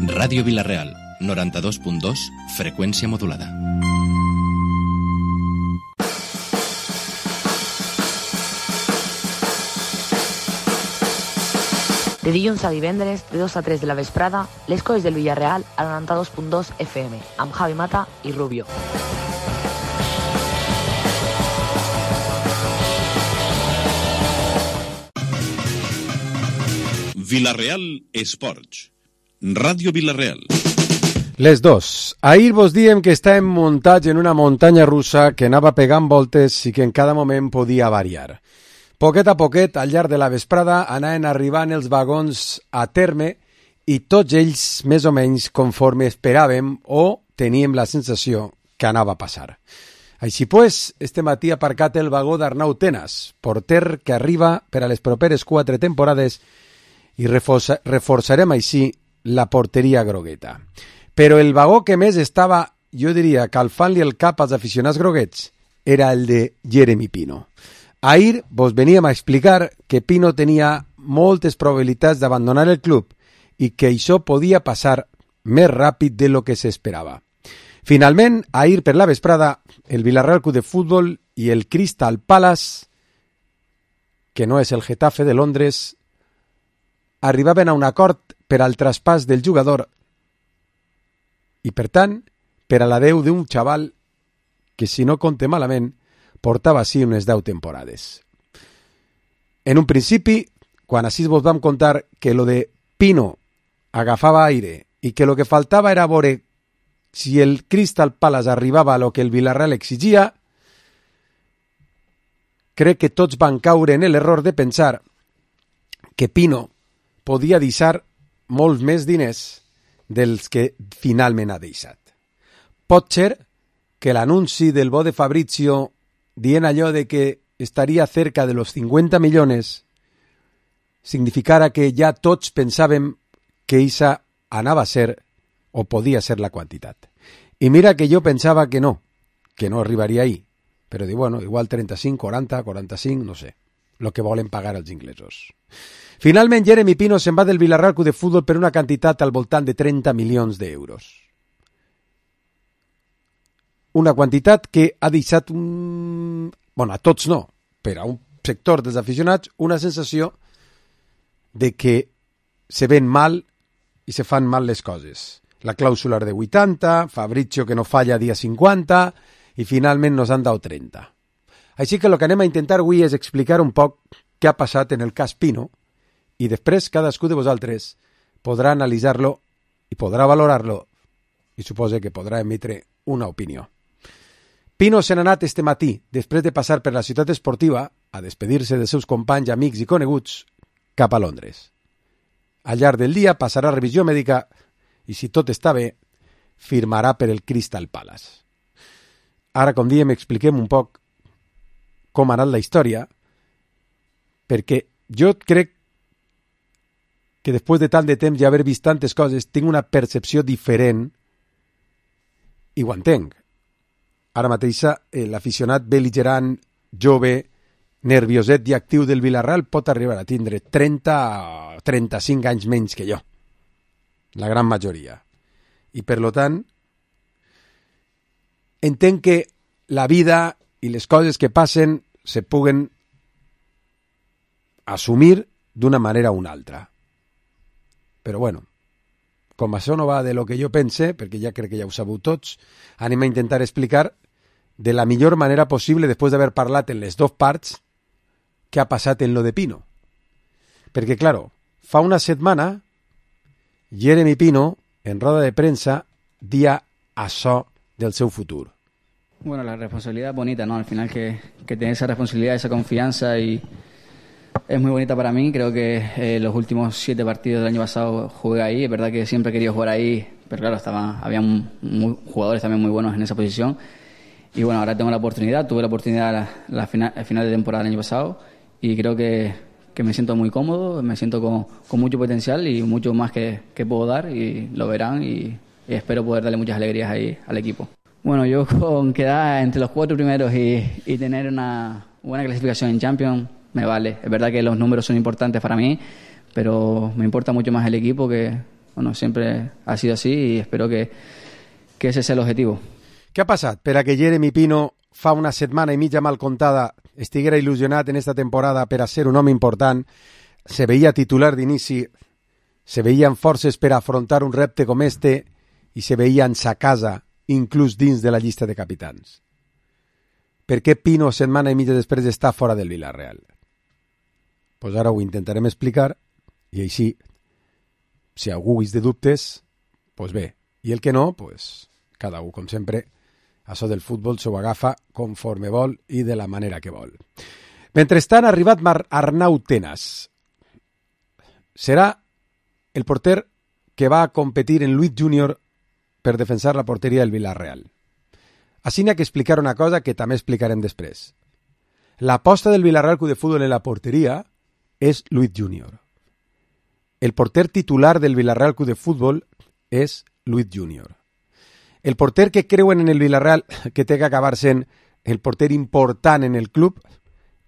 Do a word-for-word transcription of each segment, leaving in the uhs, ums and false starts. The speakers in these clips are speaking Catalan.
Ràdio Vila-real, noranta-dos punt dos, freqüència modulada. De dilluns a divendres, de dos a tres de la vesprada, les coses del Villarreal a noranta-dos punt dos F M, amb Javi Mata i Rubio. Vila-real Esports. Ràdio Vila-real. Les dos. Ahir vos diem que estàvem muntats en una muntanya russa que anava pegant voltes i que en cada moment podia variar. Poquet a poquet, al llarg de la vesprada, anaven arribant els vagons a terme i tots ells més o menys conforme esperàvem o teníem la sensació que anava a passar. Així pues, este matí ha aparcat el vagó d'Arnau Tenas, porter que arriba per a les properes quatre temporades i reforça, reforçarem així la porteria grogueta. Però el vagó que més estava, jo diria, calfant-li el cap als aficionats groguets era el de Jeremy Pino. Ahir vos veníem a explicar que Pino tenia moltes probabilitats d'abandonar el club i que això podia passar més ràpid de lo que s'esperava. Finalment, ahir per la vesprada, el Villarreal Club de Futbol i el Crystal Palace, que no és el Getafe de Londres, arribaven a un acord per al traspàs del jugador i, per tant, per a l'adeu d'un xaval que, si no compte malament, portava així unes deu temporades. En un principi, quan així vos vam contar que lo de Pino agafava aire i que lo que faltava era veure si el Crystal Palace arribava a lo que el Villarreal exigia, crec que tots van caure en l'error de pensar que Pino podia deixar molts més diners dels que finalment ha deixat. Pot ser que l'anunci del bo de Fabrizio dient allò de que estaria cerca de los cincuenta millones significara que ja tots pensàvem que eixa anava a ser o podia ser la quantitat. I mira que jo pensava que no, que no arribaria ahí, però dic, bueno, igual trenta-cinc, quaranta, quaranta-cinc, no sé, lo que volen pagar els inglesos. Finalment, Jeremy Pino se'n va del Villarreal Club de Futbol per una quantitat al voltant de trenta milions d'euros. Una quantitat que ha deixat un... bueno, a tots no, però a un sector dels aficionats una sensació de que se ven mal i se fan mal les coses. La clàusula de vuitanta, Fabrizio que no falla dia cinquanta i finalment nos han dado trenta. Així que el que anem a intentar avui és explicar un poc què ha passat en el cas Pino i després cadascú de vosaltres podrà analitzar-lo i podrà valorar-lo i suposo que podrà emetre una opinió. Pino se n'ha anat este matí, després de passar per la ciutat esportiva, a despedir-se dels seus companys, amics i coneguts, cap a Londres. Al llarg del dia passarà revisió mèdica i, si tot està bé, firmarà per el Crystal Palace. Ara, com diem, expliquem un poc com ha anat la història, perquè jo crec que després de tant de temps i haver vist tantes coses, tinc una percepció diferent i ho entenc. Ara mateix eh, l'aficionat bel·ligerant, jove, nervioset i actiu del Villarreal pot arribar a tindre trenta o trenta-cinc anys menys que jo. La gran majoria. I per lo tant, entenc que la vida i les coses que passen se puguen assumir d'una manera o una altra. Però bueno, com això no va de lo que jo pense, perquè ja crec que ja ho sabeu tots, anem a intentar explicar de la millor manera possible, després d'haver parlat en les dues parts, què ha passat en lo de Pino. Perquè, claro, fa una setmana, Jeremy Pino, en roda de premsa, dia això del seu futur. Bueno, la responsabilidad es bonita, ¿no? Al final que, que tener esa responsabilidad, esa confianza y es muy bonita para mí. Creo que eh, los últimos siete partidos del año pasado jugué ahí. Es verdad que siempre he querido jugar ahí, pero claro, estaba, había muy, jugadores también muy buenos en esa posición. Y bueno, ahora tengo la oportunidad, tuve la oportunidad la, la final, el final de temporada del año pasado y creo que, que me siento muy cómodo, me siento con, con mucho potencial y mucho más que, que puedo dar y lo verán y, y espero poder darle muchas alegrías ahí al equipo. Bueno, yo con quedar entre los cuatro primeros y, y tener una buena clasificación en Champions me vale. Es verdad que los números son importantes para mí, pero me importa mucho más el equipo, que bueno, siempre ha sido así, y espero que, que ese sea el objetivo. Què ha passat per a que Jeremy Pino fa una setmana i mitja mal contada estiguera il·lusionat en esta temporada per a ser un home important? Se veia titular d'inici, se veien forces per a afrontar un repte com este i se veien sa casa, inclús dins de la llista de capitans. Per què Pino setmana i mitja després està fora del Villarreal? Pues ara ho intentarem explicar i així, si algú és de dubtes, pues bé. I el que no, pues cada un, com sempre, això del futbol s'ho agafa conforme vol i de la manera que vol. Mentrestant ha arribat Mar Arnau Tenas. Serà el porter que va a competir en Luis Junior per defensar la porteria del Villarreal. Així n'hi ha que explicar una cosa que també explicarem després. L'aposta del Villarreal Club de Fútbol en la porteria és Luis Junior. El porter titular del Villarreal Club de Fútbol és Luis Junior. El porter que creuen en el Villarreal que té que acabar sent el porter important en el club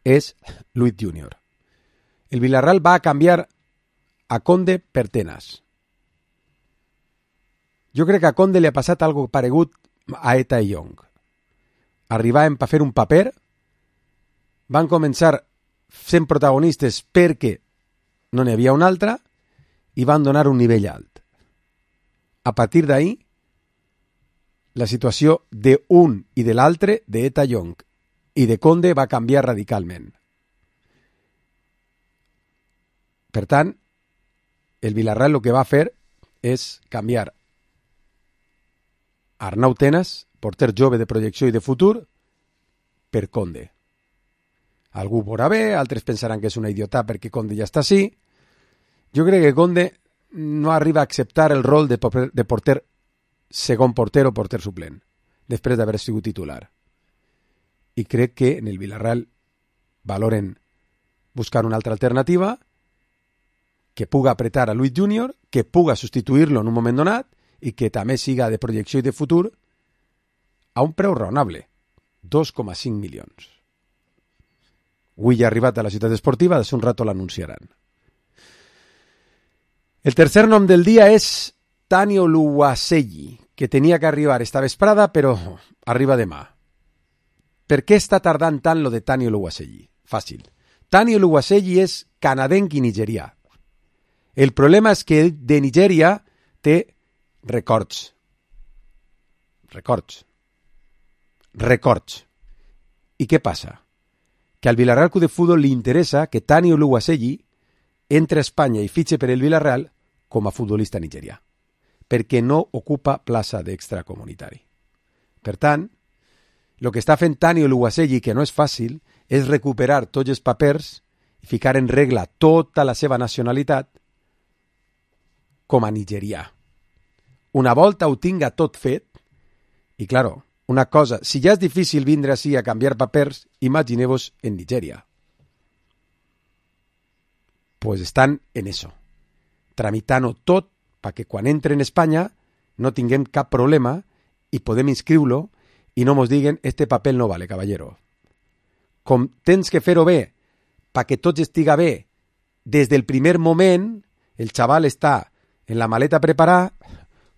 és Luis Junior. El Villarreal va a canviar a Conde per Tenas. Jo crec que a Conde li ha passat algo paregut a Eta i Young. Arribaven per fer un paper, van començar sent protagonistes perquè no n'hi havia un altre i van donar un nivell alt. A partir d'ahí, la situació d'un i de l'altre, d'Eta Young i de Conde, va canviar radicalment. Per tant, el Villarreal el que va fer és canviar Arnau Tenas, porter jove de projecció i de futur, per Conde. Algú veurà bé, altres pensaran que és una idiota perquè Conde ja està així. Jo crec que Conde no arriba a acceptar el rol de porter segon porter o porter suplent, després d'haver sigut titular. I crec que en el Villarreal valoren buscar una altra alternativa que puga apretar a Luis Junior, que puga substituir-lo en un moment donat i que també siga de projecció i de futur a un preu raonable, dos coma cinc milions. Avui ja ha arribat a la ciutat esportiva, des un rato l'anunciaran. El tercer nom del dia és Tani Oluwaseyi, que tenia que arribar esta vesprada, però arriba demà. Per què està tardant tant lo de Tani Oluwaseyi? Fàcil. Tani Oluwaseyi és canadenc i nigerià. El problema és que de Nigèria té records. Records. Records. I què passa? Que al Villarreal Club de Fútbol li interessa que Tani Oluwaseyi entre a Espanya i fitxe per el Villarreal com a futbolista nigerià, perquè no ocupa plaça d'extracomunitari. Per tant, el que està fent Tani Oluwaseyi, que no és fàcil, és recuperar tots els papers i ficar en regla tota la seva nacionalitat com a nigerià. Una volta ho tinga tot fet, i claro, una cosa, si ja és difícil vindre així a canviar papers, imagineu-vos en Nigèria. Pues estan en eso, tramitant-ho tot perquè quan entre en Espanya no tinguem cap problema i podem inscriure-lo i no mos diguen este paper no vale, caballero. Com tens que fer-ho bé perquè tot estiga bé des del primer moment, el xaval està en la maleta preparada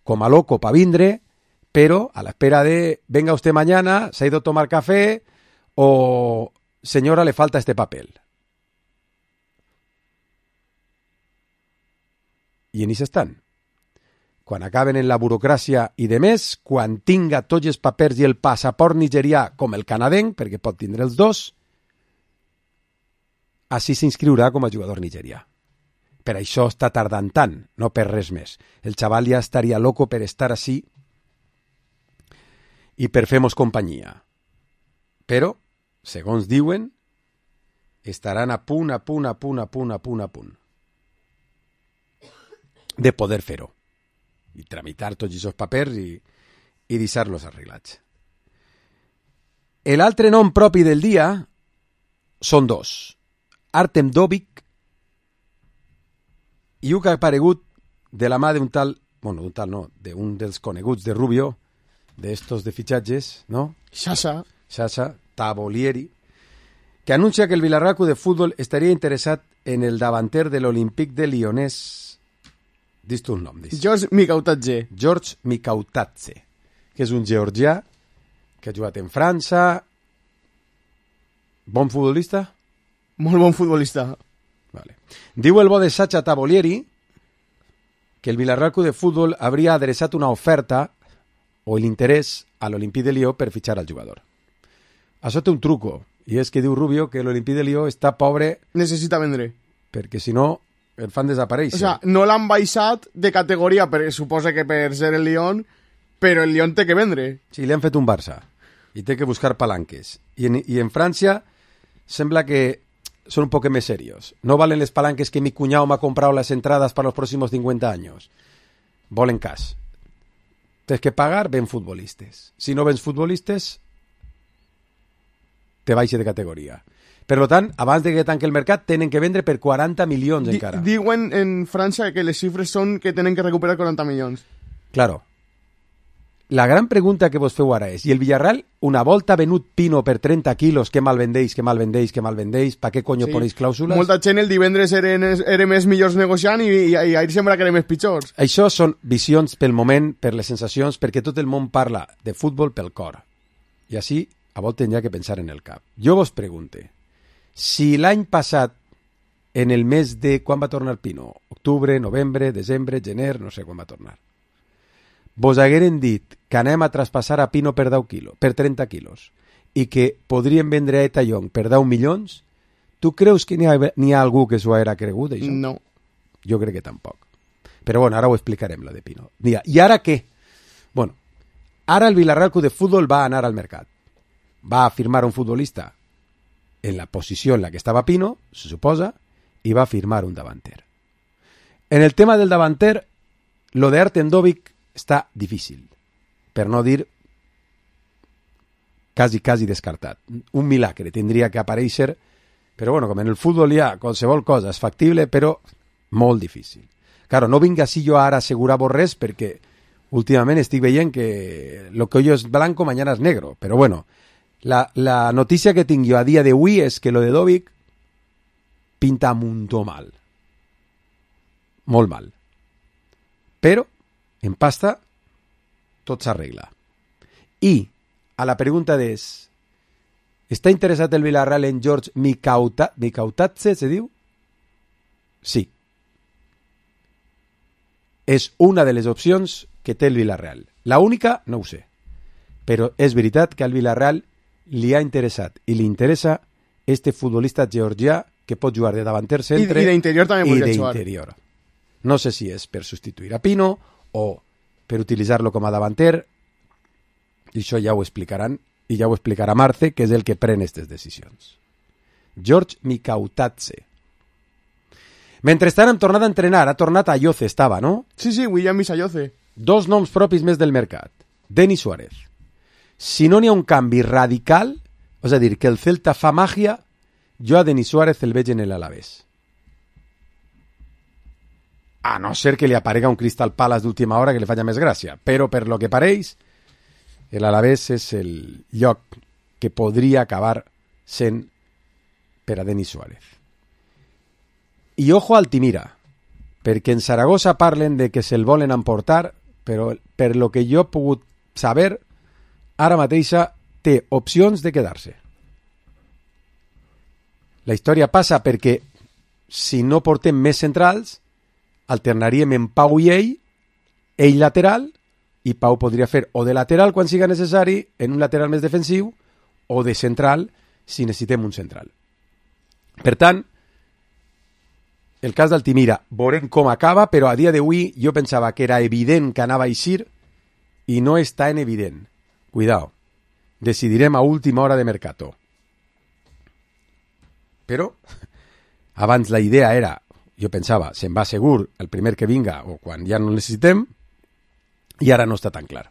com a loco para vindre, pero a la espera de venga usted mañana, se ha ido a tomar café o señora le falta este papel. I en això estan. Quan acaben en la burocràcia i de més, quan tinga tots els papers i el passaport nigerià com el canadenc, perquè pot tindre els dos, així s'inscriurà com a jugador nigerià. Per això està tardant tant, no per res més. El xaval ja estaria loco per estar així i per fer-nos companyia. Però, segons diuen, estaran a punt, a punt, a punt, a punt, a punt, a punt de poder fer-ho i tramitar tots aquests papers i, i deixar-los arreglats. L'altre nom propi del dia són dos. Artem Dovbyk i un que ha aparegut de la mà d'un tal, bueno, d'un tal no, d'un dels coneguts de Rubio, d'estos de fitxatges, no? Sasa. Sasa, Tavolieri. que anuncia que el Villarreal Club de Fútbol estaria interessat en el davanter de l'Olympique de Lyonnès. Dis tu un nom, dis. George Mikautadze. George Mikautadze, que és un georgià que ha jugat en França. Bon futbolista? Molt bon futbolista. Vale. Diu el bo de Sacha Tavolieri que el Villarreal Club de Fútbol habría adreçat una oferta o l'interès a l'Olympique de Lió per fitxar al jugador. Això té un truco, i és que diu Rubio que l'Olympique de Lió està pobre... Necessita vendre. Perquè si no, el fan desaparèixer. O sea, no l'han baixat de categoria, perquè suposa que per ser el Lyon, però el Lyon té que vendre. Sí, li han fet un Barça, i té que buscar palanques. I en, i en França sembla que son un poco más serios. No valen les palanques que mi cuñado me ha comprado las entradas para los próximos cincuenta años. Volen cash. Tienes que pagar, ven futbolistes. Si no vens futbolistes, te baixe de categoria. Per tant, abans de que tanque el mercat, tenen que vendre per quaranta milions Di encara. Diuen en França que les xifres són que tenen que recuperar quaranta milions. Claro. La gran pregunta que vos feu ara és, i el Villarreal una volta ha venut Pino per trenta quilos, que mal vendeix, que mal vendeix, que mal vendeix, pa què conyo sí. Ponéis clàusules? Molta gent el divendres eren, eren més millors negociant i, i, i ahir sembla que eren més pitjors. Això són visions pel moment, per les sensacions, perquè tot el món parla de futbol pel cor. I així, a voltes hi ha que pensar en el cap. Jo vos pregunte, si l'any passat, en el mes de... Quan va tornar Pino? Octubre, novembre, desembre, gener, no sé quan va tornar. Vos hagueren dit que anem a traspassar a Pino per deu quilos, per trenta quilos, i que podrien vendre a Eta Young per deu milions, tu creus que n'hi ha, ha algú que s'ho haguera cregut, això? No. Jo crec que tampoc. Però bueno, ara ho explicarem, lo de Pino. Mira, I ara què? Bueno, ara el Villarreal Club de Fútbol va anar al mercat. Va a firmar un futbolista en la posició en la que estava Pino, se suposa, i va a firmar un davanter. En el tema del davanter, lo de Artem Dovbyk està difícil, per no dir quasi, quasi descartat. Un milagre tindria que aparèixer, però bueno, com en el futbol hi ha qualsevol cosa és factible, però molt difícil. Claro, no vinc així jo ara a assegurar-vos res, perquè últimament estic veient que lo que hoy es blanco, mañana es negro, però bueno, la, la notícia que tinc jo a dia d'avui és que lo de Dovbyk pinta mucho mal. Molt mal. Però en pasta, tot s'arregla. I, a la pregunta és, està interessat el Villarreal en George Mikautadze, se diu? Sí. És una de les opcions que té el Villarreal. La única, no ho sé. Però és veritat que al Villarreal li ha interessat i li interessa este futbolista georgià que pot jugar de davanter centre i d'interior també i podria jugar. d'interior. No sé si és per substituir a Pino o per utilitzar-lo com a davanter, i això ja ho explicaran, i ja ho explicarà Marce, que és el que pren aquestes decisions. George Mikautadze. Mentrestant hem tornat a entrenar, ha tornat a Ayoce, estava, no? Sí, sí, William Ayoce. Dos noms propis més del mercat. Denis Suárez. Si no n'hi ha un canvi radical, és a dir, que el Celta fa màgia, jo a Denis Suárez el veig en l'Alavés. A no ser que li aparega un Crystal Palace d'última hora que li falla més gràcia. Però per lo que pareix, l'Alavés és el lloc que podria acabar sent per a Denis Suárez. I ojo a Altimira, perquè en Saragossa parlen de que se'l volen emportar, però per lo que jo he pogut saber, ara mateixa té opcions de quedar-se. La història passa perquè si no portem més centrals, alternaríem en Pau i ell, ell lateral, i Pau podria fer o de lateral quan siga necessari, en un lateral més defensiu, o de central si necessitem un central. Per tant, el cas d'Altimira, veurem com acaba, però a dia d'avui jo pensava que era evident que anava a eixir i no és tan evident. Cuidao, decidirem a última hora de mercato. Però, abans la idea era, jo pensava, se'n va segur el primer que vinga o quan ja no el necessitem, i ara no està tan clar.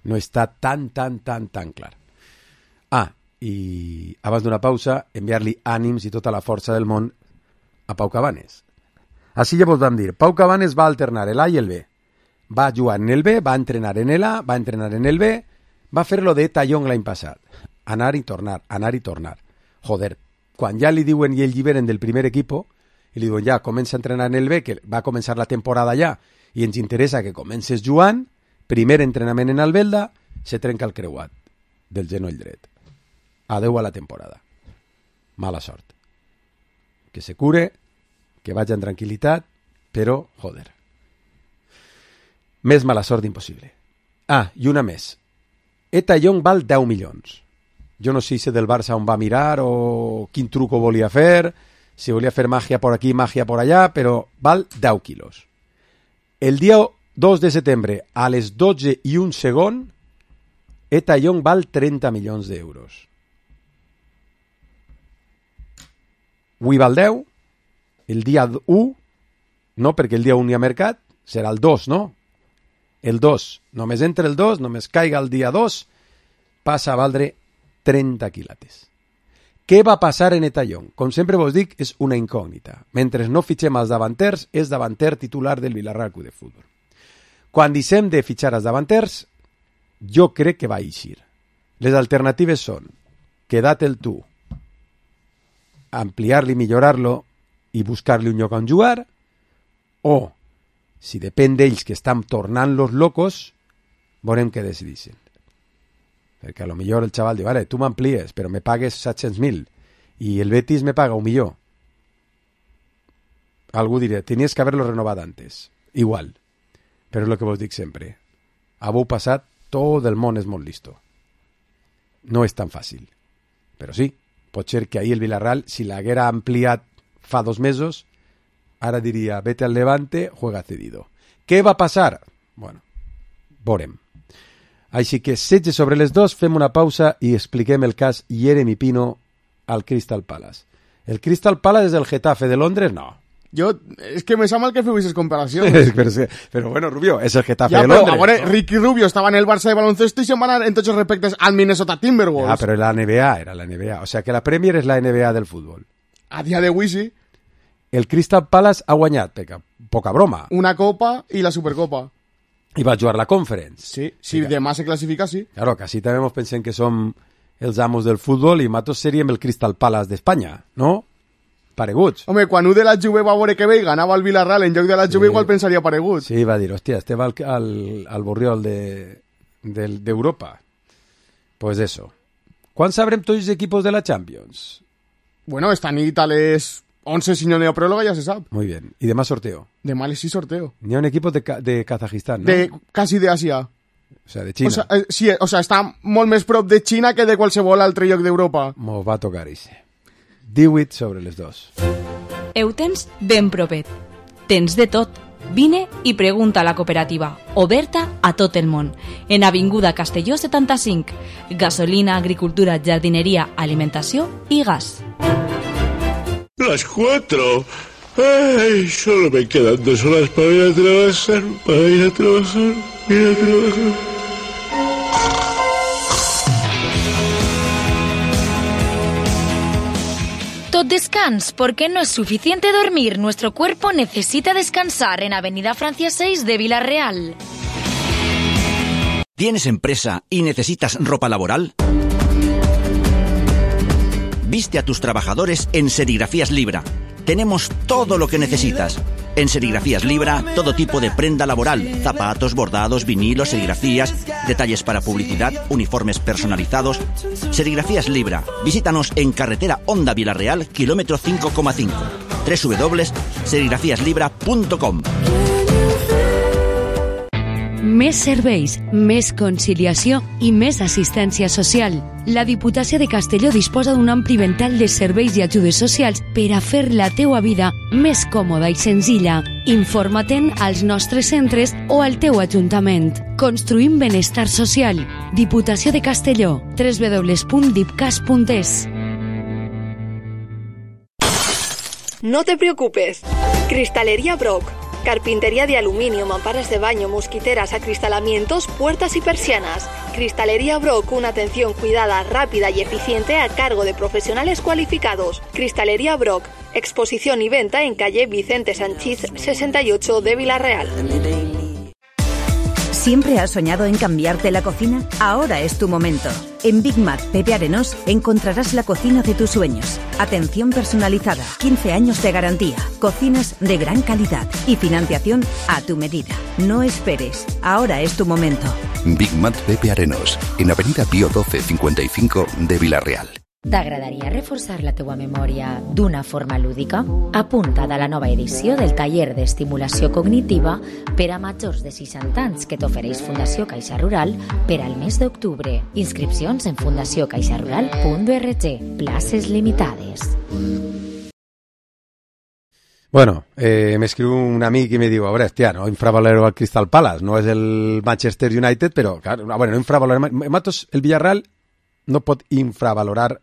No està tan, tan, tan, tan clar. Ah, i abans d'una pausa, enviar-li ànims i tota la força del món a Pau Cabanes. Així ja vos vam dir, Pau Cabanes va alternar l'A i el B. Va jugar en el B, va entrenar en l'A, va entrenar en el B, va fer lo de Eta Young l'any passat. Anar i tornar, anar i tornar. joder, quan ja li diuen i el lliberen del primer equipo, i li diuen ja, comença a entrenar en el B, que va a començar la temporada ja, i ens interessa que comences jugant, primer entrenament en Albelda, se trenca el creuat del genoll dret. Adeu a la temporada. Mala sort. Que se cure, que vagi en tranquil·litat, però, joder. Més mala sort impossible. Ah, i una més. Eta Young val deu milions. Jo no sé si del Barça on va mirar o quin truco volia fer, si volia fer màgia por aquí, màgia por allà, però val deu quilos. El dia dos de setembre, a les dotze i un segon, Eta Young val trenta milions d'euros. Avui val deu, el dia u, no, perquè el dia u n'hi ha mercat, serà el dos, no? El dos, només entre el dos, només caiga el dia dos, passa a valdre trenta quilates. Què va passar en Eta Young? Com sempre vos dic, és una incògnita. Mentre no fitxem els davanters, és davanter titular del Villarreal Club de Futbol. Quan deixem de fitxar els davanters, jo crec que va eixir. Les alternatives són quedar-te'l tu, ampliar-li, millorar-lo i buscar-li un lloc on jugar, o, si depèn d'ells que estan tornant los locos, veurem què decideixen. Perquè a lo millor el xaval diu, vale, tu m'amplies, però me pagues set-cents mil i el Betis me paga un millor. Algú dirà, tenies que haver-lo renovat antes. Igual. Però és el que vos dic sempre. Avui passat, tot el món és molt listo. No és tan fàcil. Però sí, pot ser que ahir el Villarreal, si l'haguera ampliat fa dos mesos, ara diria, vete al Levante, juega cedido. Què va passar? Bueno, veurem. Així que, setge sobre les dos, fem una pausa i expliquem el cas Yeremy Pino al Crystal Palace. ¿El Crystal Palace és el Getafe de Londres? No. Jo, és que me sap mal que feu aquestes comparacions. pero, pero bueno, Rubio, és el Getafe ja, de Londres. Ja, però, no? Ricky Rubio estava en el Barça de baloncesto i se'n va anar en tots els respectes al Minnesota Timberwolves. Ah, però la N B A, era la N B A. O sea que la Premier és la N B A del futbol. A dia d'avui sí. El Crystal Palace ha guanyat, peca, poca broma. Una copa i la Supercopa. I va jugar la Conference. Sí, si sí, demà se classifica, sí. Claro, que així també ens pensem que som els amos del futbol i matos seríem el Crystal Palace d'Espanya, no? Pareguts. Home, quan un de la Juve va veure que ve i ganava el Villarreal en lloc de la Juve, sí. Igual pensaria pareguts. Sí, va dir, hòstia, este va al, al, al Borriol d'Europa. De, pues eso. Quan sabrem tots els equipos de la Champions? Bueno, esta nit a les once, si no n'hi ha pròloga, ja se sap. Muy bien. ¿Y demás sorteo? Demà a les sis sorteo. N'hi ha un equipo de, de Kazajistán, ¿no? De, casi de Asia. O sea, de Xina. O sea, eh, sí, o sea, està molt més prop de Xina que de qualsevol altre lloc d'Europa. Mos va tocar ese. Diu-it sobre les dos. Heu tens ben propet. Tens de tot. Vine i pregunta a la cooperativa, oberta a tot el món. En Avinguda Castelló setanta-cinc. Gasolina, agricultura, jardineria, alimentació i gas. Las cuatro. Ay, solo me quedan dos horas para ir a trabajar, para ir a trabajar, ir a trabajar. Tot descans, porque no es suficiente dormir. Nuestro cuerpo necesita descansar en Avenida Francia seis de Villarreal. ¿Tienes empresa y necesitas ropa laboral? Viste a tus trabajadores en Serigrafías Libra. Tenemos todo lo que necesitas. En Serigrafías Libra, todo tipo de prenda laboral, zapatos, bordados, vinilos, serigrafías, detalles para publicidad, uniformes personalizados. Serigrafías Libra. Visítanos en carretera Honda Villarreal, kilómetro cinco coma cinco. doble u doble u doble u punt serigrafías libra punt com. Més serveis, més conciliació i més assistència social. La Diputació de Castelló disposa d'un ampli ventall de serveis i ajudes socials per a fer la teua vida més còmoda i senzilla. Informa-te'n als nostres centres o al teu ajuntament. Construïm benestar social. Diputació de Castelló. doble u doble u doble u punt dipcas punt es. No te preocupes. Cristalería Brock. Carpintería de aluminio, mamparas de baño, mosquiteras, acristalamientos, puertas y persianas. Cristalería Brock, una atención cuidada, rápida y eficiente a cargo de profesionales cualificados. Cristalería Brock, exposición y venta en calle Vicente Sanchís sesenta y ocho de Villarreal. ¿Siempre has soñado en cambiarte la cocina? Ahora es tu momento. En Big Mac Pepe Arenós encontrarás la cocina de tus sueños. Atención personalizada, quince años de garantía, cocinas de gran calidad y financiación a tu medida. No esperes, ahora es tu momento. Big Mac Pepe Arenós, en Avenida Pío doce cincuenta y cinco de Vila-real. T'agradaria reforçar la teua memòria d'una forma lúdica? Apunta't a la nova edició del taller d'estimulació cognitiva per a majors de seixanta anys que t'ofereix Fundació Caixa Rural per al mes d'octubre. Inscripcions en fundació caixa rural punt org. Places limitades. Bueno, eh, m'escriu un amic i me diu, a veure, hòstia, no infravaloreu el Crystal Palace, no és el Manchester United, però, claro, bueno, no infravalorem... Matos, el Villarreal no pot infravalorar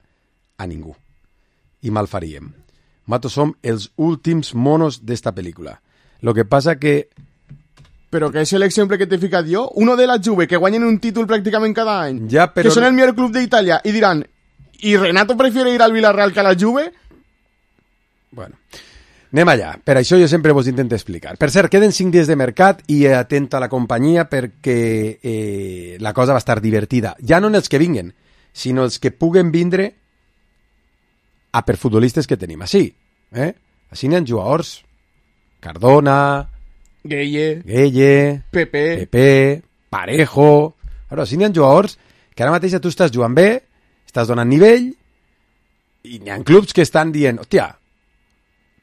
a ningú. I mal faríem. Matos som els últims monos d'esta pel·lícula. Lo que passa que... Però que és l'exemple que t'he ficat jo. Uno de la Juve, que guanyen un títol pràcticament cada any. Ja, però... Que són el millor club d'Itàlia. I diran, ¿y Renato prefiere ir al Villarreal que a la Juve? Bueno, anem allà. Per això jo sempre vos intento explicar. Per cert, queden cinc dies de mercat i atenta a la companyia perquè eh, la cosa va estar divertida. Ja no en els que vinguen, sinó els que puguen vindre a per futbolistes que tenim així. Eh? Així n'hi ha jugadors. Cardona, Gueye, Gueye, Pepe, Pepe, Parejo... Però així n'hi ha jugadors que ara mateix tu estàs jugant bé, estàs donant nivell, i n'hi ha clubs que estan dient, hòstia,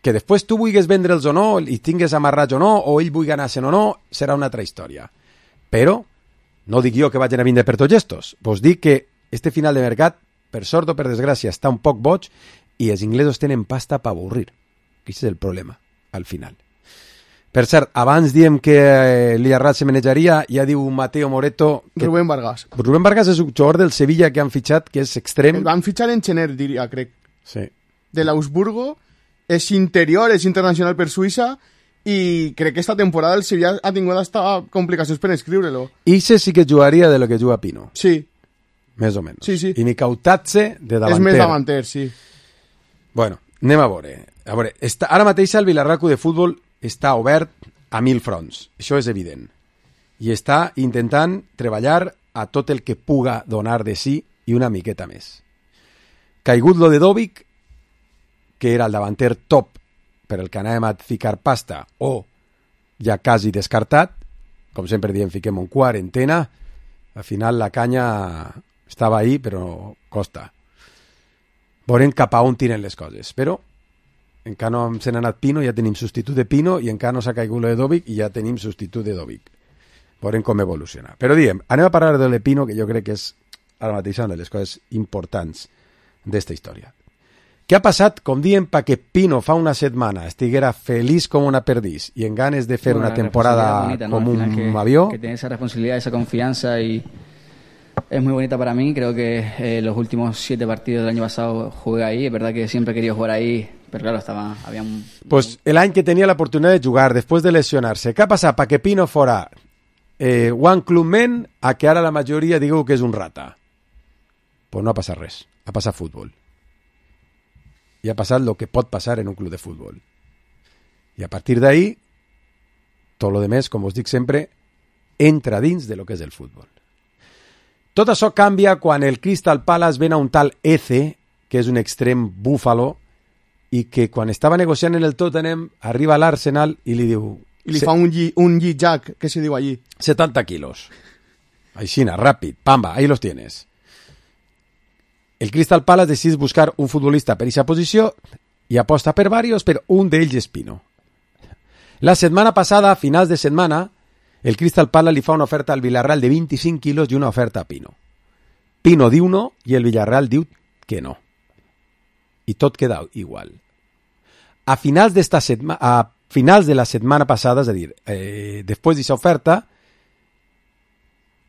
que després tu vulguis vendre'ls o no, i tingues amarrats o no, o ell vulgui anar-se'n o no, serà una altra història. Però no dic jo que vagin a vindre per tots estos. Vos dic que este final de mercat, per sort o per desgràcia, està un poc boig i els inglesos tenen pasta per avorrir. Aquest és el problema, al final. Per cert, abans diem que el Villarreal se manejaria, ja diu Mateo Moreto... Que Rubén Vargas. Rubén Vargas és un jugador del Sevilla que han fitxat, que és extrem... El van fitxar en Chener, diria, crec. Sí. De l'Augsburgo, és interior, és internacional per Suïssa, i crec que esta temporada el Sevilla ha tingut hasta complicacions per escriure-lo. Ixe sí que jugaria de lo que juga Pino. Sí. Més o menys. Sí, sí. I Nicautatze de davanter. És més davanter, sí. Bueno, anem a veure. A veure, està, ara mateix el Villarreal de Futbol està obert a mil fronts. Això és evident. I està intentant treballar a tot el que puga donar de sí i una miqueta més. Caigut lo de Dovic, que era el davanter top per el que anàvem a ficar pasta, o ja quasi descartat, com sempre diem, fiquem en quarantena, al final la canya estava ahí, però costa. Veurem cap a on tiren les coses, però encara no se n'ha anat Pino, ja tenim substitut de Pino, i encara no s'ha caigut lo de Dovic, i ja tenim substitut de Dovic. Veurem com evoluciona. Però diem, anem a parlar de lo de Pino, que jo crec que és ara mateix una de les coses importants d'esta història. Què ha passat, com diem, perquè Pino fa una setmana estiguera feliç com una perdís i en ganes de fer bueno, una temporada bonita, ¿no? Como un que, avió? Que tiene esa responsabilidad, esa confianza y es muy bonita para mí. Creo que eh, los últimos siete partidos del año pasado jugué ahí. Es verdad que siempre he querido jugar ahí, pero claro, estaba, había un... Pues el any que tenia la oportunitat de jugar després de lesionarse, què ha passat perquè Pino fora eh, one club men a que ara la majoria digueu que és un rata? Pues no ha passat res, ha passat futbol. I ha passat el que pot passar en un club de futbol. I a partir d'ahí, tot lo demés, com us dic sempre, entra dins de lo que és el futbol. Tot això canvia quan el Crystal Palace ven a un tal Eze, que és un extrem búfalo, i que quan estava negociant en el Tottenham arriba a l'Arsenal i li diu... I li fa un G-Jack, que se diu allí. setanta quilos. Aixina, ràpid, pamba, ahí los tienes. El Crystal Palace decideix buscar un futbolista per aquesta posició i aposta per varios, però un d'ells és Pino. La setmana passada, a finals de setmana, el Crystal Palace li fa una oferta al Villarreal de vint-i-cinc quilos i una oferta a Pino. Pino diu no i el Villarreal diu que no. I tot queda igual. A finals, d'esta setma, a finals de la setmana passada, és a dir, eh, després d'aquesta oferta,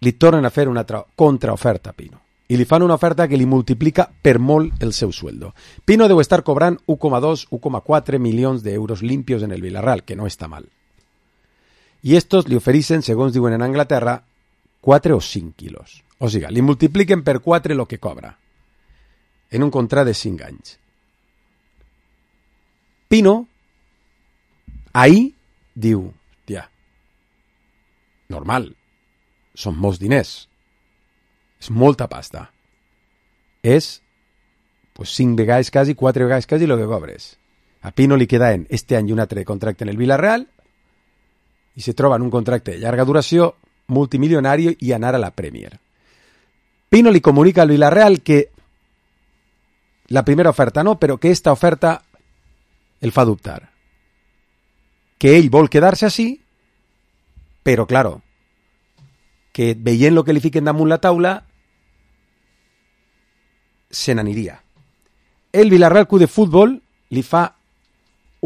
li tornen a fer una contraoferta a Pino. I li fan una oferta que li multiplica per molt el seu sueldo. Pino deu estar cobrant u coma dos, u coma quatre milions d'euros limpios en el Villarreal, que no està mal. I estos li ofereixen, segons diuen en Anglaterra, quatre o cinc quilos. O sigui, li multipliquen per quatre el que cobra. En un contrat de cinc anys. Pino, ahí, diu, tia, normal, són molts diners. És molta pasta. És pues, cinc vegades quasi, quatre vegades quasi el que cobres. A Pino li queda en este any un altre contracte en el Villarreal i se troba en un contracte de llarga duració, multimilionari i anar a la Premier. Pino li comunica al Villarreal que la primera oferta no, però que esta oferta el fa dubtar. Que ell vol quedar-se així, però, claro, que veient el que li fiquen damunt la taula, se n'aniria. El Villarreal Club de Futbol li fa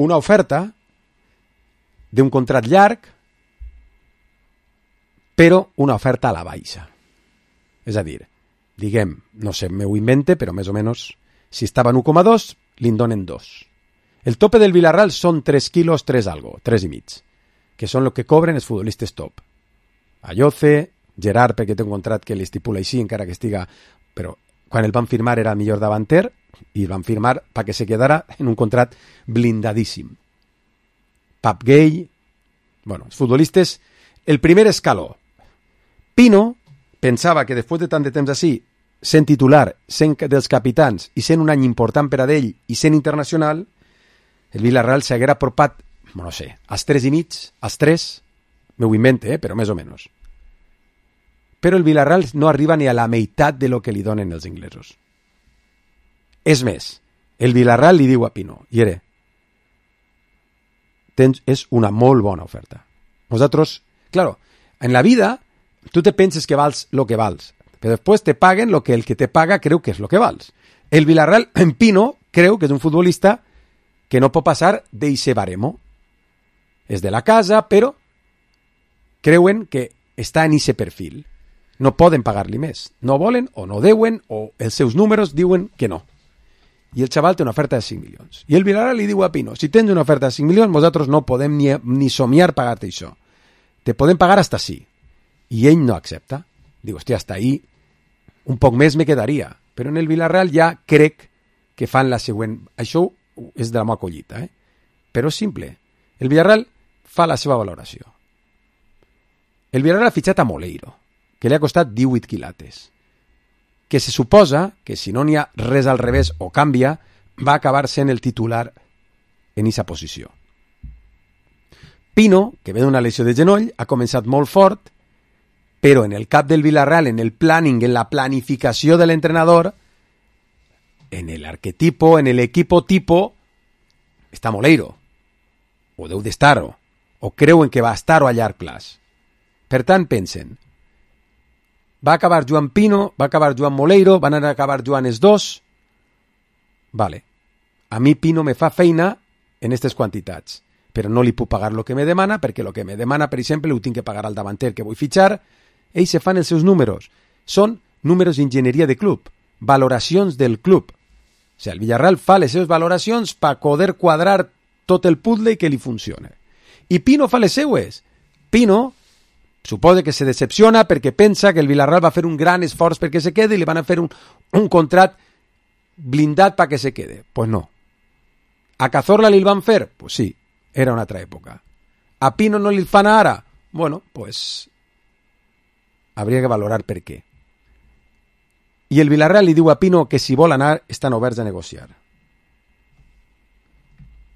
una oferta d'un contrat llarg, però una oferta a la baixa. És a dir, diguem, no sé, m'ho invente, però més o menys, si estava en u coma dos, li'n donen dos. El tope del Villarreal són tres quilos, tres algo, tres i mig, que són el que cobren els futbolistes top. Ayoce, Gerard, perquè té un contrat que l'estipula així, encara que estiga... Però quan el van firmar era el millor davanter i el van firmar perquè se quedara en un contrat blindadíssim. Pap Gay... Bueno, els futbolistes... El primer escaló. Pino pensava que després de tant de temps així, sent titular, sent dels capitans i sent un any important per a d'ell i sent internacional, el Villarreal s'haguera apropat, no sé, als tres i mig, als tres, m'ho invente, eh, però més o menys. Però el Villarreal no arriba ni a la meitat de lo que li donen els inglesos. És més, el Villarreal li diu a Pino, Iere, tens, és una molt bona oferta. Nosaltres, claro, en la vida, tu te penses que vals lo que vals, però després te paguen lo que el que te paga creu que és lo que vals. El Villarreal, en Pino, creu que és un futbolista que no pot passar d'eixe baremo. És de la casa, però creuen que està en eixe perfil. No poden pagar-li més. No volen o no deuen o els seus números diuen que no. I el xaval té una oferta de cinc milions. I el Villarreal li diu a Pino, si tens una oferta de cinc milions, nosaltres no podem ni, ni somiar pagar-te això. Te podem pagar hasta sí. I ell no accepta. Diu, hòstia, hasta ahí un poc més me quedaria. Però en el Villarreal ja crec que fan la següent... Això és de la meva collita, eh? Però és simple. El Villarreal fa la seva valoració. El Villarreal ha fitxat a Moleiro, que li ha costat divuit quilates, que se suposa que si no n'hi ha res al revés o canvia, va acabar sent el titular en aquesta posició. Pino, que ve d'una lesió de genoll, ha començat molt fort, però en el cap del Villarreal, en el planning, en la planificació de l'entrenador, en el arquetipo, en el equipo tipo, està Moleiro, o deu d'estar-ho, o creuen que va estar-ho a llarg plaç. Per tant, pensen, va acabar Joan Pino, va acabar Joan Moleiro, van anar a acabar Joan els dos, vale, a mi Pino me fa feina en aquestes quantitats, però no li puc pagar el que me demana, perquè el que me demana, per exemple, ho tinc que pagar al davanter que vull fitxar. Ells se fan els seus números. Són números d'enginyeria de club, valoracions del club. O sigui, el Villarreal fa les seves valoracions per poder quadrar tot el puzzle i que li funcione. I Pino fa les seues. Pino suposa que se decepciona perquè pensa que el Villarreal va fer un gran esforç perquè se quede i li van a fer un, un contrat blindat perquè se quede. Pues no. A Cazorla li el van fer? Pues sí, era una altra època. A Pino no li fan ara? Bueno, pues habría que valorar per què. I el Villarreal li diu a Pino que si vol anar estan oberts a negociar.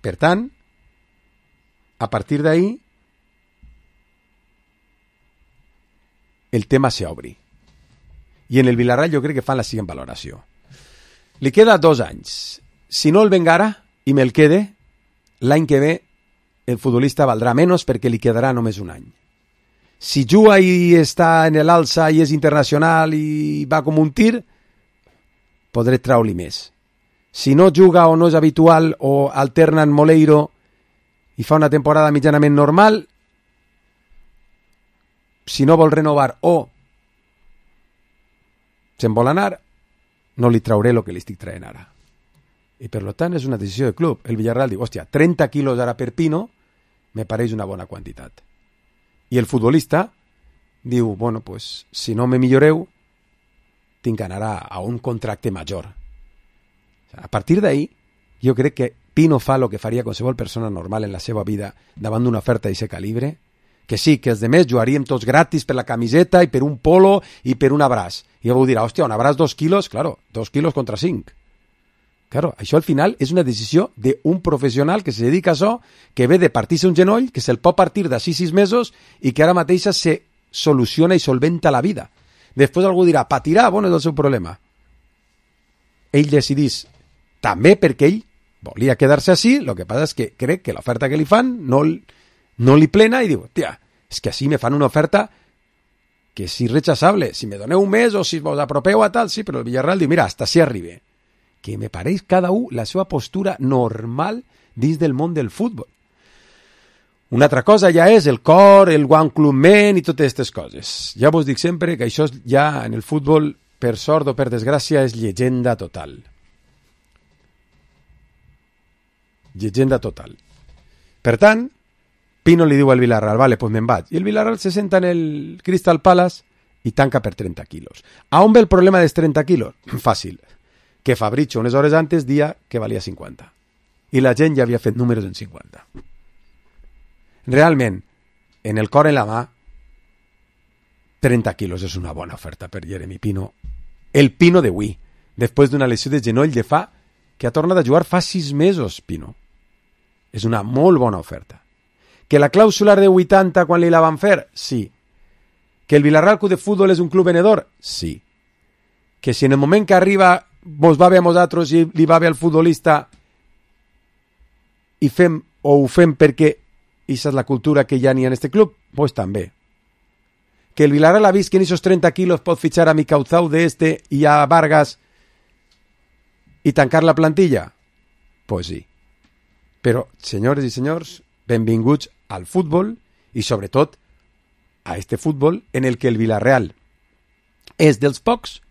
Per tant, a partir d'ahí, el tema s'obri. I en el Villarreal jo crec que fan la següent valoració. Li queda dos anys. Si no el vengara i me'l quede, l'any que ve el futbolista valdrà menys perquè li quedarà només un any. Si juga i està en l'alça i és internacional i va com un tir, podré treure-li més. Si no juga o no és habitual o alterna en Moleiro i fa una temporada mitjanament normal, si no vol renovar o se'n vol anar, no li trauré el que li estic traient ara. I per tant és una decisió de club. El Villarreal diu, hòstia, trenta quilos ara per Pino me pareix una bona quantitat. I el futbolista diu, bueno, pues, si no me milloreu, tinc que anar a, a un contracte major. A partir d'ahí, jo crec que Pino fa el que faria qualsevol persona normal en la seva vida davant d'una oferta d'aquest calibre, que sí, que els demés jugaríem tots gratis per la camiseta i per un polo i per un abraç. I algú dirà, hòstia, un abraç dos quilos, claro, dos quilos contra cinc. Claro, això al final és una decisió d'un professional que se dedica a això, que ve de partir-se un genoll, que se'l pot partir d'ací sis mesos i que ara mateixa se soluciona i solventa la vida. Després algú dirà, patirà, bueno, és el seu problema. Ell decidís, també perquè ell volia quedar-se així, el que passa és que crec que l'oferta que li fan no, no li plena i diu, tia, és que així me fan una oferta que és irrechazable. Si me doneu un mes o si vos apropeu a tal, sí, però el Villarreal diu, mira, hasta si arribe. Que me pareix cada un la seva postura normal dins del món del futbol. Una altra cosa ja és el cor, el one club men i totes aquestes coses. Ja vos dic sempre que això ja en el futbol, per sort o per desgràcia, és llegenda total. Llegenda total. Per tant, Pino li diu al Villarreal, vale, pues me'n vaig. I el Villarreal se senta en el Crystal Palace i tanca per trenta quilos. A on ve el problema dels trenta quilos? Fàcil. Que Fabricio unes hores antes dia que valia cinquanta. I la gent ja havia fet números en cinquanta. Realment, en el cor en la mà, trenta quilos és una bona oferta per Jeremy Pino. El Pino d'avui, després d'una lesió de genoll de fa, que ha tornat a jugar fa sis mesos, Pino. És una molt bona oferta. Que la clàusula de vuitanta quan li la van fer? Sí. Que el Villarreal Club de Futbol és un club venedor? Sí. Que si en el moment que arriba vos va bé a vosaltres i li va bé al futbolista i fem o ho fem perquè aquesta és la cultura que ja n'hi ha en este club, pues també. Que el Villarreal ha vist que en esos trenta quilos pot fitxar a Micauzau de este i a Vargas i tancar la plantilla? Pues sí. Però, senyores i senyors, benvinguts al futbol i sobretot a este futbol en el que el Villarreal és dels pocs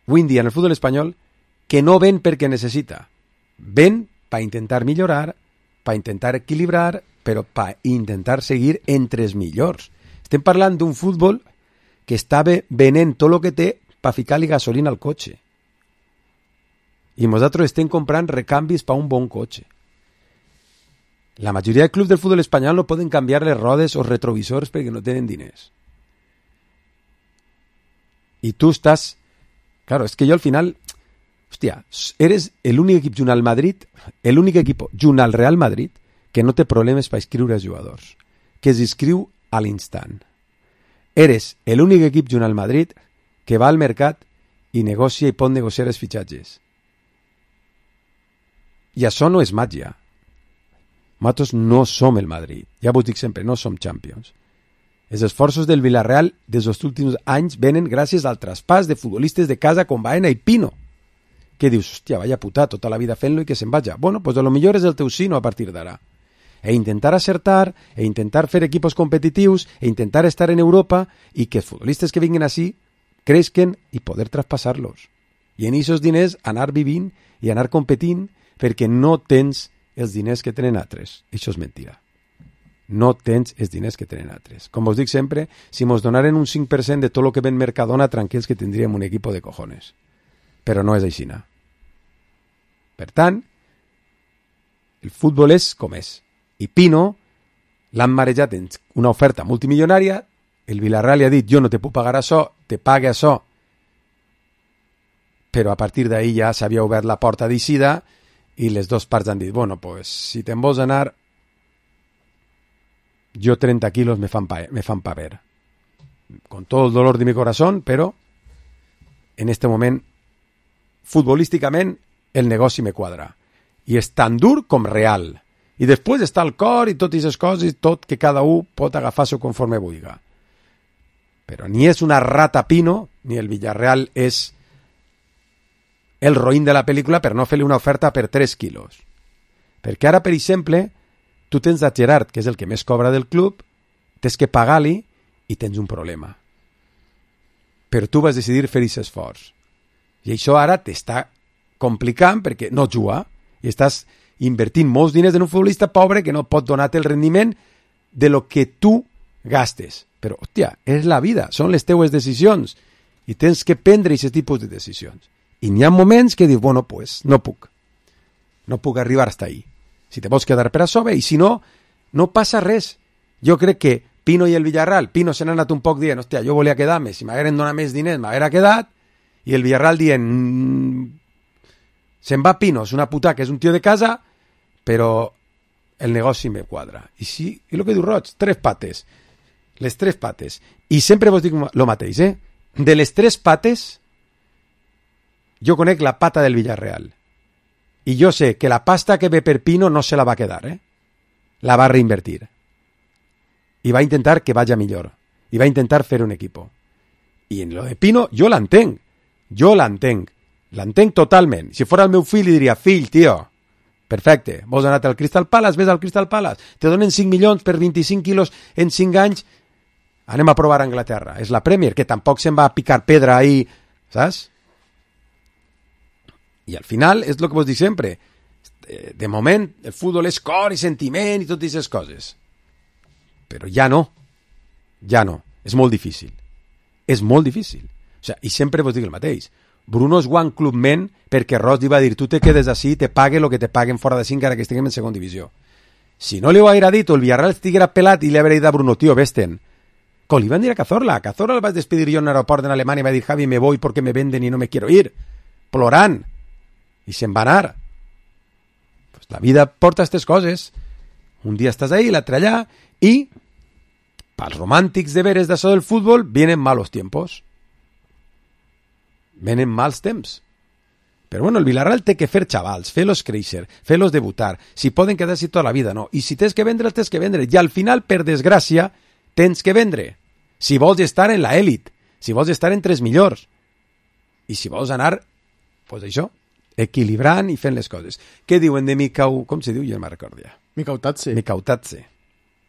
avui en dia en el futbol espanyol que no ven perquè necessita. Ven per intentar millorar, per intentar equilibrar, però per intentar seguir entre els millors. Estem parlant d'un futbol que estava venent tot el que té per ficar-li gasolina al cotxe. I nosaltres estem comprant recanvis per un bon cotxe. La majoria de clubs del futbol espanyol no poden canviar les rodes o retrovisors perquè no tenen diners. I tu estàs... Claro, es que yo al final... Hostia, eres el únic equip junt al Madrid, el únic equip junt al Real Madrid que no té problemes per inscriure els jugadors, que s'inscriu a l'instant. Eres el únic equip junt al Madrid que va al mercat i negocia i pot negociar els fitxatges. I això no és màgia. Nosaltres no som el Madrid. Ja vos dic sempre, no som Champions. Els esforços del Villarreal des dels últims anys venen gràcies al traspàs de futbolistes de casa com Baena i Pino. Que dius, hòstia, vaya puta, tota la vida fent-lo i que se'n vaja. Bueno, pues a lo millor és el teu sino a partir d'ara. E intentar acertar, e intentar fer equipos competitius, e intentar estar en Europa i que els futbolistes que vinguin així creixen i poder traspassar-los. I en aquests diners anar vivint i anar competint perquè no tens els diners que tenen altres. Això és mentira. No tens els diners que tenen altres. Com us dic sempre, si mos donaren un cinc per cent de tot el que ven Mercadona, tranquils que tindríem un equip de cojones. Però no és així. Per tant, el futbol és com és. I Pino l'han marejat en una oferta multimilionària, el Villarreal li ha dit, jo no te puc pagar això, te pague això. Però a partir d'ahir ja s'havia obert la porta d'eixida i les dues parts han dit, bueno, pues, si te'n vols anar, jo trenta quilos me fan, pa, me fan paver. Con todo el dolor de mi corazón, però en este moment, futbolísticament, el negoci me quadra. I és tan dur com real. I després està el cor i totes aquestes coses, tot que cada un pot agafar-s'ho conforme vulgui. Però ni és una rata Pino, ni el Villarreal és el roïn de la pel·lícula per no fer-li una oferta per tres quilos. Perquè ara, per exemple, tu tens a Gerard, que és el que més cobra del club, tens que pagar-li i tens un problema. Però tu vas decidir fer aquest esforç. I això ara t'està complicant perquè no juga i estàs invertint molts diners en un futbolista pobre que no pot donar-te el rendiment de lo que tu gastes. Però, hòstia, és la vida, són les teues decisions i tens que prendre aquest tipus de decisions. I n'hi ha moments que dius, bueno, pues no puc. No puc arribar hasta ahí. Si te vols quedar per a sobre, i si no, no passa res. Jo crec que Pino i el Villarreal, Pino se n'ha anat un poc dient, hòstia, jo volia quedar-me, si m'hagueren donat més diners m'haguera quedat, i el Villarreal dient, mmm, se'n va Pino, és una puta que és un tio de casa, però el negoci me quadra. I sí, i el que diu Roig, tres pates, les tres pates. I sempre vos dic el mateix, eh? De les tres pates, jo conec la pata del Villarreal. I jo sé que la pasta que ve per Pino no se la va quedar, eh? La va reinvertir. I va intentar que vaya millor. I va intentar fer un equipo. I en lo de Pino, jo l'entenc. Jo l'entenc. L'entenc totalment. Si fora el meu fill, li diria, fill, tio, perfecte, vols anar al Crystal Palace, ves al Crystal Palace, te donen cinc milions per vint-i-cinc quilos en cinc anys, anem a provar a Anglaterra. És la Premier, que tampoc se'n va a picar pedra ahí, saps? I al final, és el que vos dic sempre, de moment, el futbol és cor i sentiment i totes aquestes coses. Però ja no. Ja no. És molt difícil. És molt difícil. O sea, i sempre vos dic el mateix. Bruno és one clubment perquè Ross li va dir tu te quedes així i te pague el que te paguen fora de cinc ara que estiguem en segona divisió. Si no li ho haguera dit o el Villarreal estiguera pelat i li haguera dit a Bruno, tío, vesten. Com li van dir a Cazorla. A Cazorla el vaig despedir jo en l'aeroport en Alemanya i va dir, Javi, me voy porque me venden y no me quiero ir. Plorant. I se'n va anar. Pues la vida porta aquestes coses. Un dia estàs ahí, l'altre allà, i pels romàntics de veres d'això del futbol vienen malos tiempos. Venen mals temps. Però bueno, el Villarreal té que fer xavals, fer-los créixer, fer-los debutar. Si poden quedar-s'hi tota la vida, no. I si tens que vendre, el tens que vendre. I al final, per desgràcia, tens que vendre. Si vols estar en la elit, si vols estar entre els millors. I si vols anar, pues això, equilibrant i fent les coses. Què diuen de Mikau... Com se diu? Jo no me'n recordo ja. Mikautatze. Mikautatze.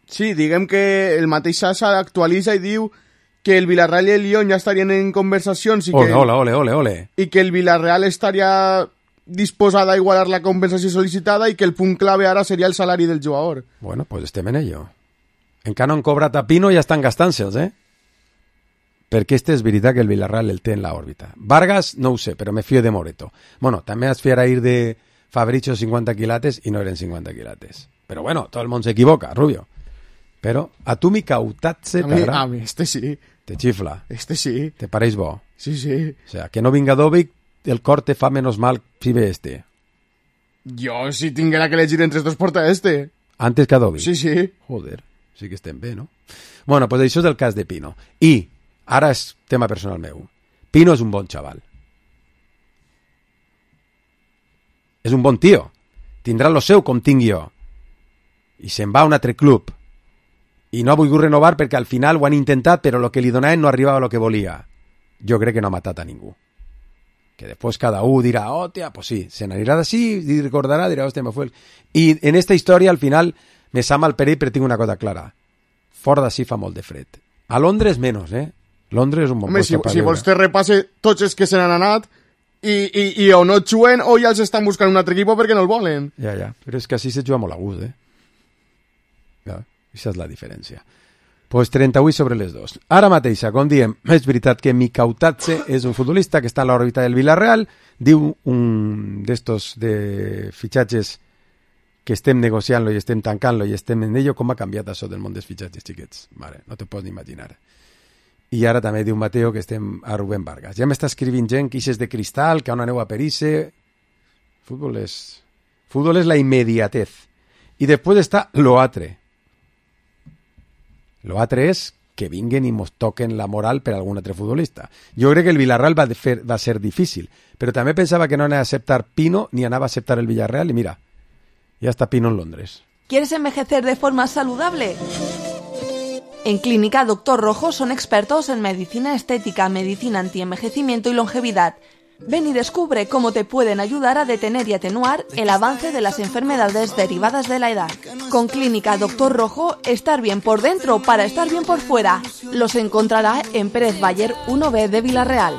Sí, diguem que el mateix Sasa actualitza i diu que el Villarreal i el Lyon ja estarien en conversacions i que, ole, ole, ole, ole, ole. i que el Villarreal estaria disposada a igualar la compensació sol·licitada i que el punt clave ara seria el salari del jugador. Bueno, pues estem en ello. Encara no han cobrat a Pino i ja estan gastant-se'ls, eh? Perquè este és veritat que el Villarreal el té en l'òrbita. Vargas, no ho sé, però me fío de Moreto. Bueno, també es fiera ir de Fabricio cinquanta quilates i no eren cinquanta quilates. Però bueno, todo el món s'equivoca, Rubio. Però a tu Mikautatze t'agrada? A mi, este sí. Te xifla? Este sí. Te pareix bo? Sí, sí. O sea, que no vinga Dovic, el cor te fa menos mal si ve este. Jo, si tinguera que elegir entre estos, porta este. Antes que a Dovic? Sí, sí. Joder, sí que estem bé, no? Bueno, pues això és el cas de Pino. I, ara és tema personal meu, Pino és un bon xaval. És un bon tio. Tindrà lo seu com tinc jo. I se'n va a un altre club. I no ha volgut renovar perquè al final ho han intentat, però el que li donaven no arribava a lo que volia. Jo crec que no ha matat a ningú. Que després cada un dirà, oh, tia, pues sí, se n'anirà d'ací, i recordarà, dirà, hòstia, me fue el... I en esta història, al final, me sa mal perill, però tinc una cosa clara. Fora d'ací fa molt de fred. A Londres, menys, eh? Londres és un bon Home, si, si vols te repasse tots els que se n'han anat i, i, i o no juguen o ja els estan buscant un altre equip perquè no el volen. Ja, ja, però és que així se juga molt a gust, eh? Ja, això és la diferència. Pues trenta-vuit sobre les dos. Ara mateixa, com diem, és veritat que Mikautatze és un futbolista que està a l'òrbita del Villarreal, diu un d'estos de fitxatges que estem negociant-lo i estem tancant-lo i estem en ello, com ha canviat això del món dels fitxatges, xiquets? Mare, no te pots ni imaginar. I ara també diu Mateo que estem a Rubén Vargas. Ja m'està escrivint gent que ixes de cristal, que on aneu a Perice... Futbol és... Futbol és la immediatez. I després està lo altre. Lo altre és que vinguen i mos toquen la moral per algun altre futbolista. Jo crec que el Villarreal va, de fer, va ser difícil, però també pensava que no anava a acceptar Pino ni anava a acceptar el Villarreal i mira, ya está Pino en Londres. ¿Quieres envejecer de forma saludable? En Clínica Doctor Rojo son expertos en medicina estética, medicina antienvejecimiento y longevidad. Ven y descubre cómo te pueden ayudar a detener y atenuar el avance de las enfermedades derivadas de la edad. Con Clínica Doctor Rojo, estar bien por dentro para estar bien por fuera. Los encontrará en Pérez Bayer uno B de Villarreal.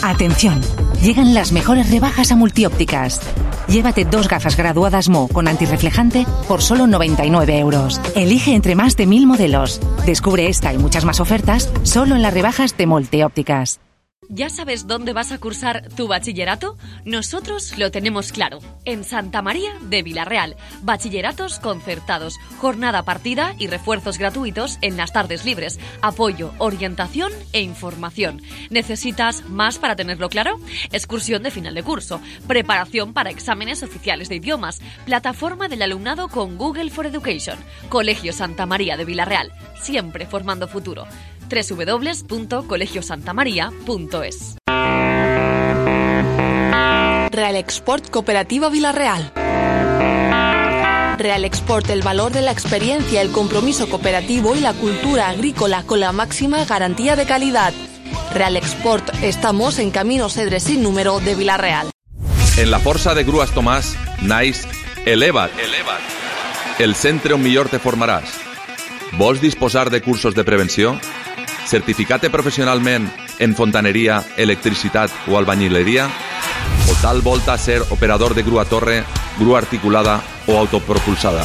Atención, llegan las mejores rebajas a Multiópticas. Llévate dos gafas graduadas Mo con antirreflejante por solo noventa y nueve euros. Elige entre más de mil modelos. Descubre esta y muchas más ofertas solo en las rebajas de Multiópticas. ¿Ya sabes dónde vas a cursar tu bachillerato? Nosotros lo tenemos claro. En Santa María de Vilarreal. Bachilleratos concertados, jornada partida y refuerzos gratuitos en las tardes libres. Apoyo, orientación e información. ¿Necesitas más para tenerlo claro? Excursión de final de curso. Preparación para exámenes oficiales de idiomas. Plataforma del alumnado con Google for Education. Colegio Santa María de Vilarreal. Siempre formando futuro. doble u doble u doble u punto colegio santa maría punto es. Real Export Cooperativa Vilarreal. Real Export, el valor de la experiencia, el compromiso cooperativo y la cultura agrícola con la máxima garantía de calidad. Real Export, estamos en Camino Cedre sin número de Vilarreal. En la força de Grues Tomàs, naix Eleva't. Eleva't. El centre on millor te formaràs. Vols disposar de cursos de prevenció? Certificat-te professionalment en fontaneria, electricitat o albañileria? O tal volta ser operador de grua torre, grua articulada o autopropulsada?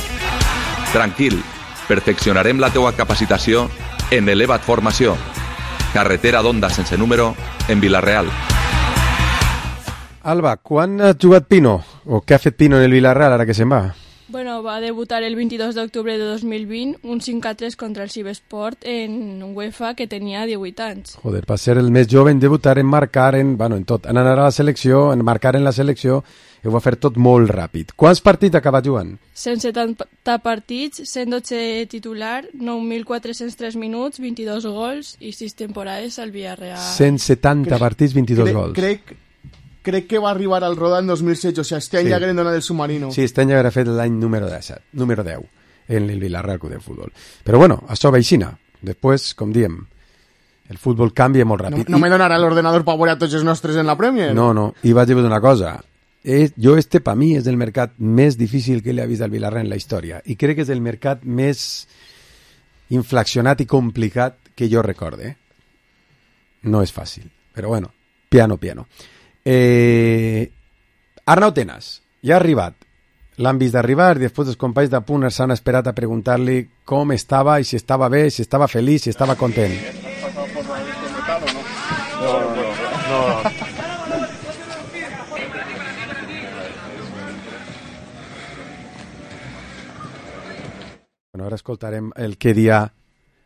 Tranquil, perfeccionarem la teua capacitació en Eleva't Formació. Carretera d'Onda sense número en Vilarreal. Alba, quan ha jugat Pino? O què ha fet Pino en el Vilarreal ara que se'n va? Bueno, va debutar el veintidós d'octubre de dos mil vint un cinc a tres contra el Cibesport en UEFA que tenia divuit anys. Joder, va ser el més jove en debutar, en marcar, en, bueno, en tot, en anar a la selecció, en marcar en la selecció, i ho va fer tot molt ràpid. Quants partits acaba jugant? cent setanta partits, cent dotze titular, nou mil quatre-cents tres minuts, vint-i-dos gols i sis temporades al Villarreal. cent setanta crec, partits, vint-i-dos crec, gols. Crec, crec que va arribar al Roda en dos mil setze, o sea, este any sí. Ja hagueren donat el submarino. Sí, este any ja haguera fet l'any número disset, número deu, en el Vilarreal Club de Futbol. Però bueno, això veixina. Després, com diem, el futbol canvia molt ràpid. No, no I... me donarà l'ordenador per veure a tots els nostres en la Premier? No, no, i vaig dir una cosa. Es, jo este, per mi, és el mercat més difícil que li ha vist al Vilarreal en la història. I crec que és el mercat més inflacionat i complicat que jo recorde. No és fàcil, però bueno, piano, piano. Eh, Arnau Tenas ja ha arribat, l'han vist d'arribar i després els companys de punt s'han esperat a preguntar-li com estava i si estava bé, si estava feliç, si estava content. No, no, no. Bueno, ara escoltarem el que dia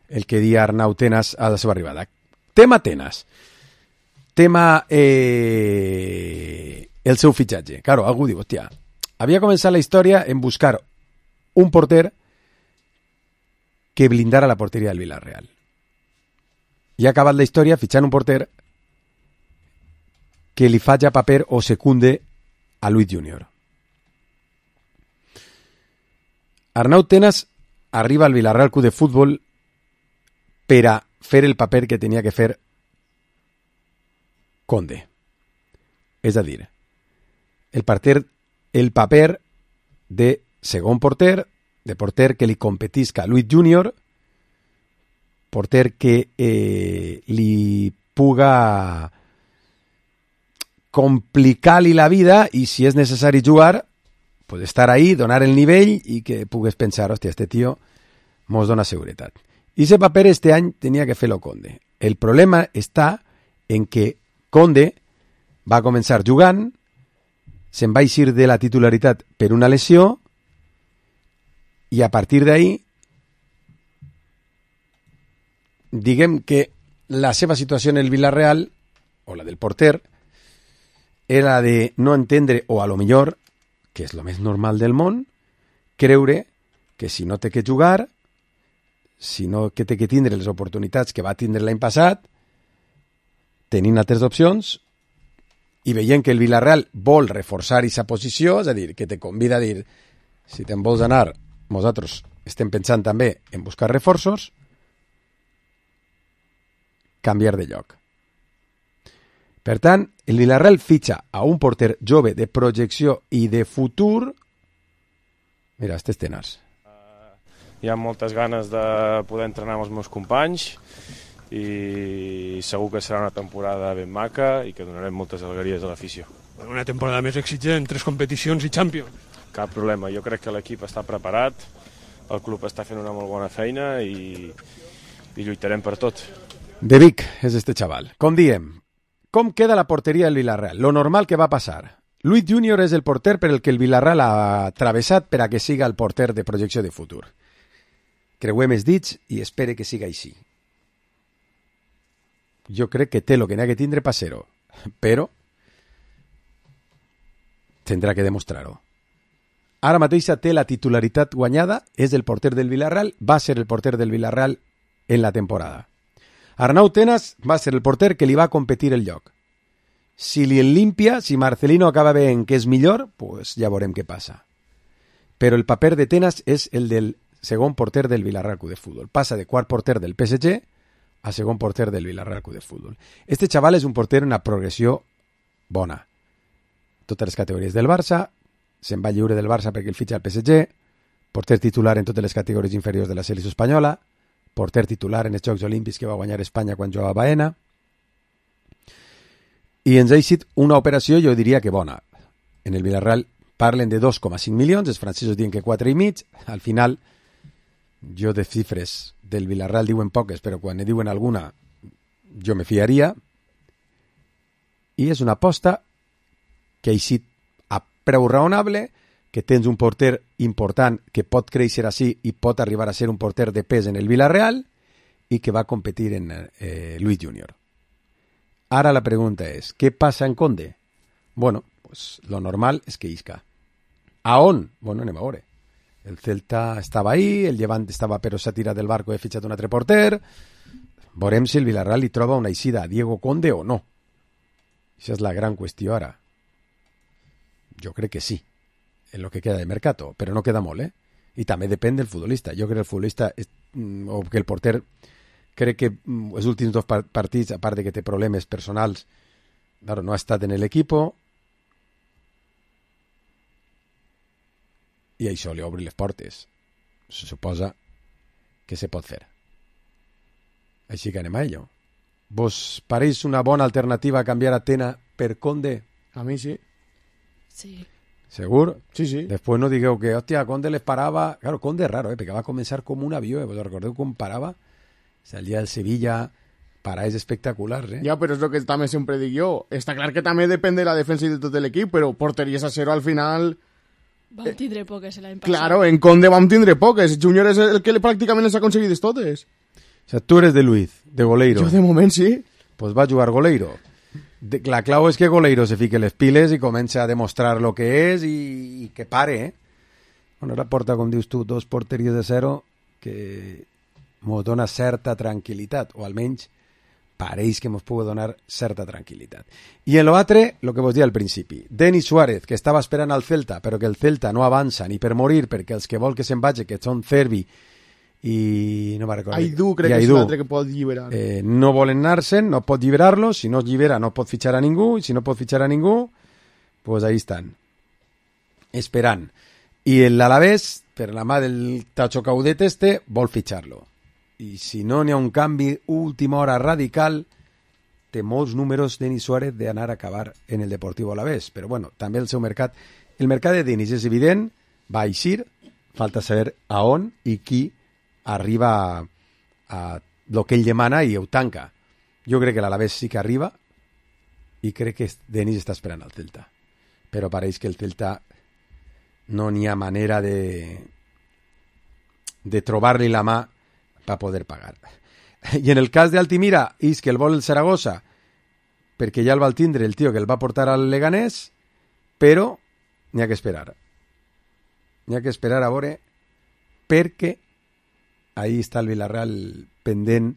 el que dia Arnau Tenas a la seva arribada. Tema Tenas. Tema eh, el seu fitxatge. Claro, algú diu, hòstia, havia començat la història en buscar un porter que blindara la porteria del Vilarreal. I ha acabat la història fitxant un porter que li faci paper o secunde a Luis Junior. Arnau Tenas arriba al Vilarreal Club de Futbol per a fer el paper que tenia que fer Conde. És a dir, el, parter, el paper de segon porter, de porter que li competisca a Luis Junior, porter que eh, li puga complicar-li la vida i si és necessari jugar, pues estar ahí, donar el nivell i que pugues pensar, hòstia, este tio mos dona seguretat. I ese paper este any tenia que fer-lo Conde. El problema està en que Conde va començar jugant, se'n va eixir de la titularitat per una lesió i a partir d'ahí diguem que la seva situació en el Vilarreal, o la del porter, era de no entendre, o a lo millor, que és lo més normal del món, creure que si no té que jugar, si no que té que tindre les oportunitats que va tindre l'any passat, tenint altres opcions i veient que el Vilarreal vol reforçar aquesta posició, és a dir, que te convida a dir si te'n vols anar, nosaltres estem pensant també en buscar reforços, canviar de lloc. Per tant, el Vilarreal fitxa a un porter jove de projecció i de futur. Mira, estes Tenas. Hi ha moltes ganes de poder entrenar amb els meus companys i segur que serà una temporada ben maca i que donarem moltes alegries a l'afició. Una temporada més exigent, tres competicions i Champions. Cap problema, jo crec que l'equip està preparat, el club està fent una molt bona feina i, i lluitarem per tot. De Vic és este xaval. Com diem, Com queda la porteria del Villarreal? Lo normal que va passar. Luis Junior és el porter per el que el Villarreal ha travessat per a que siga el porter de projecció de futur. Creuem els dits i espere que siga així. Jo crec que té el que n'ha que tindre per ser-ho, però tindrà que demostrar-ho. Ara mateixa té la titularitat guanyada, és el porter del Villarreal, va ser el porter del Villarreal en la temporada. Arnau Tenas va ser el porter que li va competir el lloc. Si li en limpia, si Marcelino acaba veient que és millor, pues ja veurem què passa. Però el paper de Tenas és el del segon porter del Villarreal Club de Fútbol. Passa de quart porter del P S G a segon porter del Villarreal Club de Fútbol. Este xaval és un porter en una progressió bona. Totes les categories del Barça, se'n va lliure del Barça perquè el fitxa el P S G, porter titular en totes les categories inferiors de la selecció espanyola, porter titular en els Jocs Olímpics que va guanyar Espanya quan jugava a Baena, i ens ha eixit una operació, jo diria que bona. En el Villarreal parlen de dos coma cinc milions, els francesos diuen que quatre i mig, al final, jo de xifres del Villarreal diuen poques, però quan ne diuen alguna, jo me fiaria, i és una aposta que ha eixit a preu raonable, que tens un porter important que pot créixer així i pot arribar a ser un porter de pes en el Villarreal i que va competir en eh, Luis Junior. Ara la pregunta és, què passa en Conde? Bueno, pues lo normal és que isca. A on? Bueno, anem a veure. El Celta estava ahí, el Llevant estava però s'ha tirat del barco i ha fitxat un altre porter. Veurem si el Villarreal li troba una eixida a Diego Conde o no. Això és la gran qüestió ara. Jo crec que sí, en lo que queda de mercato, però no queda molt, eh? I també depèn del futbolista. Jo crec que el futbolista, o que el porter, crec que els últims dos partits, a part de que té problemes personals, claro, no ha estat en l'equip, i això li obri les portes. Se suposa que se pot fer. Així que anem a ello. Vos pareix una bona alternativa canviar a Tena per Conde? A mi sí. Sí. ¿Segur? Sí, sí. Després no digueu que, hòstia, Conde les parava... Claro, Conde és raro, eh? Perquè va començar com un avió, eh? Vos recordeu com parava? Salia del Sevilla, parades espectaculars, eh? Ja, però és el que també sempre dic jo. Està clar que també depèn de la defensa i de tot l'equip, però porteries a zero al final... Vam tindre poques l'any passat. Claro, en Conde vam tindre poques. Junior és el que pràcticament les ha aconseguides totes. O sea, tu eres de Luis, de goleiro. Jo de moment sí. Pues va a jugar goleiro. De, la clau és que Goleiro se fique les piles i comença a demostrar lo que és i, i que pare, eh? Bueno, ara porta, com dius tu, dos porteries de zero que mos dona certa tranquil·litat, o almenys pareix que mos pugui donar certa tranquil·litat. I en l'altre, el que vos dia al principi, Denis Suárez, que estava esperant al Celta, però que el Celta no avança ni per morir, perquè els que vol que se'n vagi, que són Cervi i no me'n recordo. Aidú, crec que és l'altre que pot lliberar. Eh, no volen anar-se'n, no pot lliberar-lo, si no es llibera no pot fitxar a ningú, i si no pot fitxar a ningú, pues ahí estan, esperant. I l'Alavés, per la mà del Tacho Caudet este, vol fitxar-lo. I si no n'hi ha un canvi última hora radical, té molts números Denis Suárez d'anar a acabar en el Deportivo Alavés, però bueno, també el seu mercat, el mercat de Denis és evident, va eixir, falta saber a on i qui arriba a, a lo que ell demana i ho tanca. Jo crec que l'Alavés sí que arriba i crec que Denis està esperant al Celta. Però pareix que el Celta no n'hi ha manera de de trobar-li la mà per poder pagar. I en el cas d'Altimira, és que el vol el Saragossa perquè ja el va tindre el tio que el va portar al Leganés, però n'hi ha que esperar. N'hi ha que esperar a veure perquè ahí està el Villarreal pendent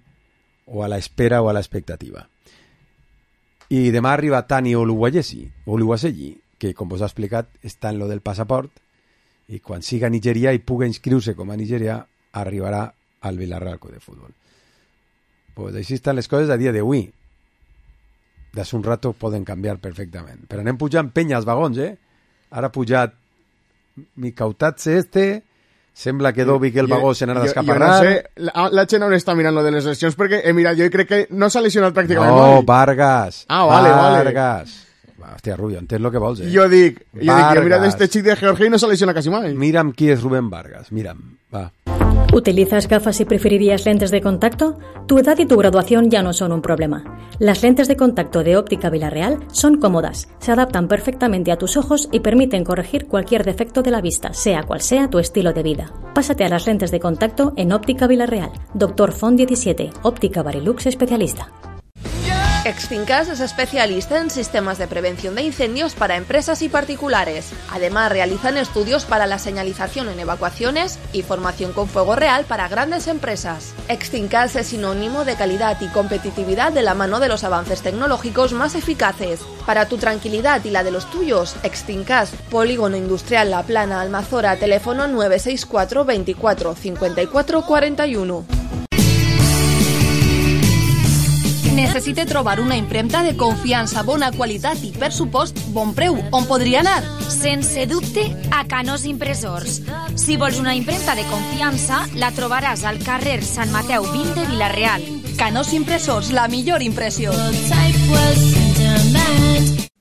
o a la espera o a la expectativa. I demà arriba Tani Oluwaseyi, que com vos ha explicat està en lo del passaport i quan siga a Nigeria i puga inscriure-se com a Nigeria arribarà al Villarreal Club de Fútbol. Pues així estan les coses a dia d'avui. D'ací un rato poden canviar perfectament. Però anem pujant penya als vagons, eh? Ara ha pujat Mikautatse este... Sembla que Dovi que el vagó se n'ha d'escaparrar. Jo no sé, la, la gent on està mirant lo de les lesions, perquè he mirat, jo crec que no s'ha lesionat pràcticament no, mai. Vargas. Ah, vale, Vargas. Vale. Hòstia, Rubio, entens el que vols, eh? Jo dic, jo dic, jo he mirat este xic de Georgia i no s'ha lesionat quasi mai. Mira'm qui és Rubén Vargas, mira'm, va. ¿Utilizas gafas y preferirías lentes de contacto? Tu edad y tu graduación ya no son un problema. Las lentes de contacto de Óptica Villarreal son cómodas, se adaptan perfectamente a tus ojos y permiten corregir cualquier defecto de la vista, sea cual sea tu estilo de vida. Pásate a las lentes de contacto en Óptica Villarreal. Doctor Font diecisiete, Óptica Barilux especialista. Extincas es especialista en sistemas de prevención de incendios para empresas y particulares. Además, realizan estudios para la señalización en evacuaciones y formación con fuego real para grandes empresas. Extincas es sinónimo de calidad y competitividad de la mano de los avances tecnológicos más eficaces. Para tu tranquilidad y la de los tuyos, Extincas, Polígono Industrial La Plana, Almazora, teléfono nueve seis cuatro veinticuatro cincuenta y cuatro cuarenta y uno. Necessite trobar una impremta de confiança, bona qualitat i, per supost, bon preu. On podria anar? Sense dubte, a Canós Impressors. Si vols una impremta de confiança, la trobaràs al carrer Sant Mateu vint de Vila-real. Canós Impressors, la millor impressió.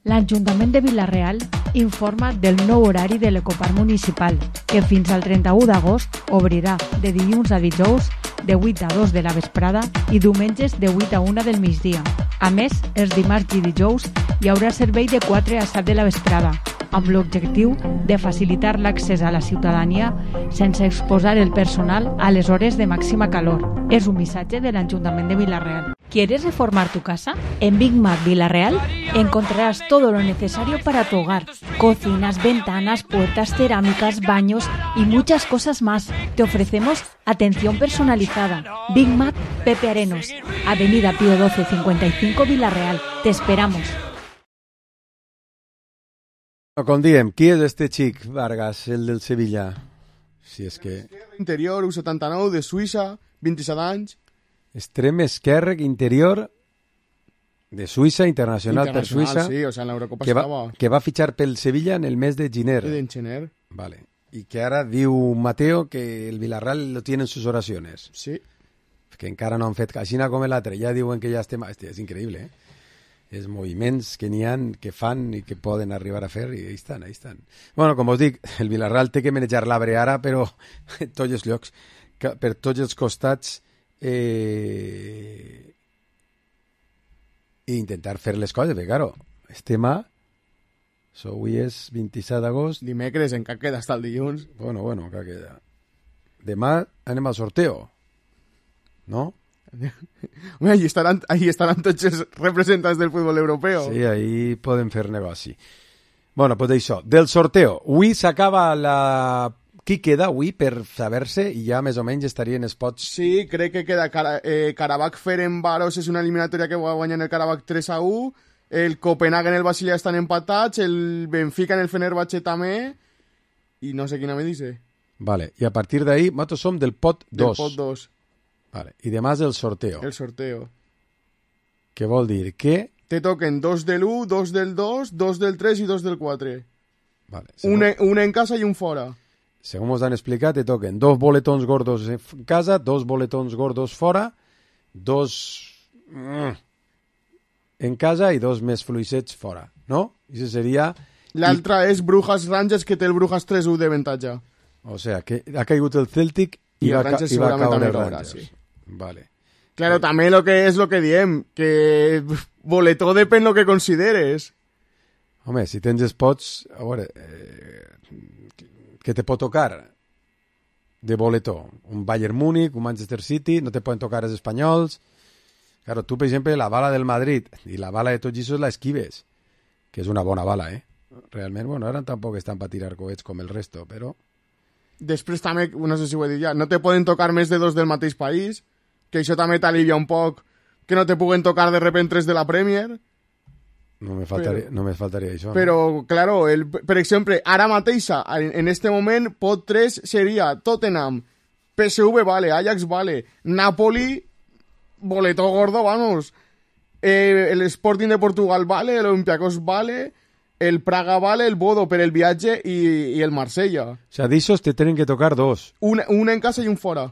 L'Ajuntament de Vila-real informa del nou horari de l'Ecoparc Municipal, que fins al trenta-u d'agost obrirà de dilluns a dijous de vuit a dos de la vesprada i diumenges de vuit a una del migdia. A més, els dimarts i dijous hi haurà servei de quatre a set de la vesprada, amb l'objectiu de facilitar l'accés a la ciutadania sense exposar el personal a les hores de màxima calor. És un missatge de l'Ajuntament de Vila-real. ¿Quieres reformar tu casa? En Big Mac Vila-real encontrarás todo lo necesario para tu hogar. Cocinas, ventanas, puertas, cerámicas, baños y muchas cosas más. Te ofrecemos atención personalizada. Big Mac Pepe Arenos, Avenida Pío doce cincuenta y cinco Vila-real. Te esperamos. Com diem, qui és este xic, Vargas, el del Sevilla? Si és que... Interior, U setanta-nou, de Suïssa, vint-i-set anys. Extrem esquerre interior de Suïssa, internacional, internacional per Suïssa, sí, o sea, en l'Eurocopa que, va, estava... que va fitxar pel Sevilla en el mes de gener. De gener. Vale. Y que ara diu Mateo que el Villarreal lo tiene en sus oraciones. Sí. Que encara no han fet aixina com l'altre. Ja diuen que ja estem... Hòstia, és increïble, eh? Els moviments que n'hi ha, que fan i que poden arribar a fer, i ahí estan, ahí estan. Bueno, com us dic, el Villarreal té que manejar l'arbre ara, però en tots els llocs, per tots els costats, eh, i intentar fer les coses, perquè, claro, estem a... So, avui és vint-i-set d'agost. Dimecres, encara queda hasta el dilluns. Bueno, bueno, encara queda. Demà anem al sorteo, no? Home, ahí estaran, ahí estaran tots els representants del futbol europeu. Sí, ahí poden fer negoci. Bueno, pues això, del sorteo. Avui s'acaba la... Qui queda avui per saber-se i ja més o menys estarien els pots... Sí, crec que queda Cara, eh, Karabakh Ferencváros és una eliminatòria que va guanyar el Karabakh tres a u, el Copenhagen i el Basilea estan empatats, el Benfica en el Fenerbahce també, i no sé quina me dice. Vale, i a partir d'ahí, nosaltres som del pot dos. Del pot dos. Vale, i demà és el sorteo. El sorteo. Què vol dir? Que... Te toquen dos del u, dos del dos, dos del tres i dos del quatre. Vale. Un, en, un en casa i un fora. Segons ens han explicat, te toquen dos boletons gordos en casa, dos boletons gordos fora, dos en casa i dos més fluixets fora, no? I això seria... L'altra I... és Brujas Rangers, que té el Brujas tres a u d'avantatge. O sea, que ha caigut el Celtic i, I va, el Rangers i va caure el caurà, Rangers. sí. Vale. Claro, eh. també lo que és lo que diem, que boletó depèn lo que consideres. Home, si tens spots, a veure, eh, que te pot tocar de boletó? Un Bayern Múnich, un Manchester City, no te poden tocar els espanyols. Claro, tu, per exemple, la bala del Madrid i la bala de tots aquests la esquives, que és una bona bala, eh? Realment, bueno, ara tampoc estan per tirar coets com el resto, però... Després també, no sé si ho he dit ja, no te poden tocar més de dos del mateix país, que això també t'alivia un poc, que no te puguen tocar de repente tres de la Premier. No me faltaria, però, no me faltaria això. Però, no? claro, el, per exemple, ara mateixa, en, en este moment, pot tres seria Tottenham, P S V vale, Ajax vale, Napoli, boleto gordo, vamos, eh, el Sporting de Portugal vale, el Olympiacos vale, el Praga vale, el Bodo per el viatge i, i el Marsella. O sea, d'ixos te tenen que tocar dos. Un, un en casa i un fora.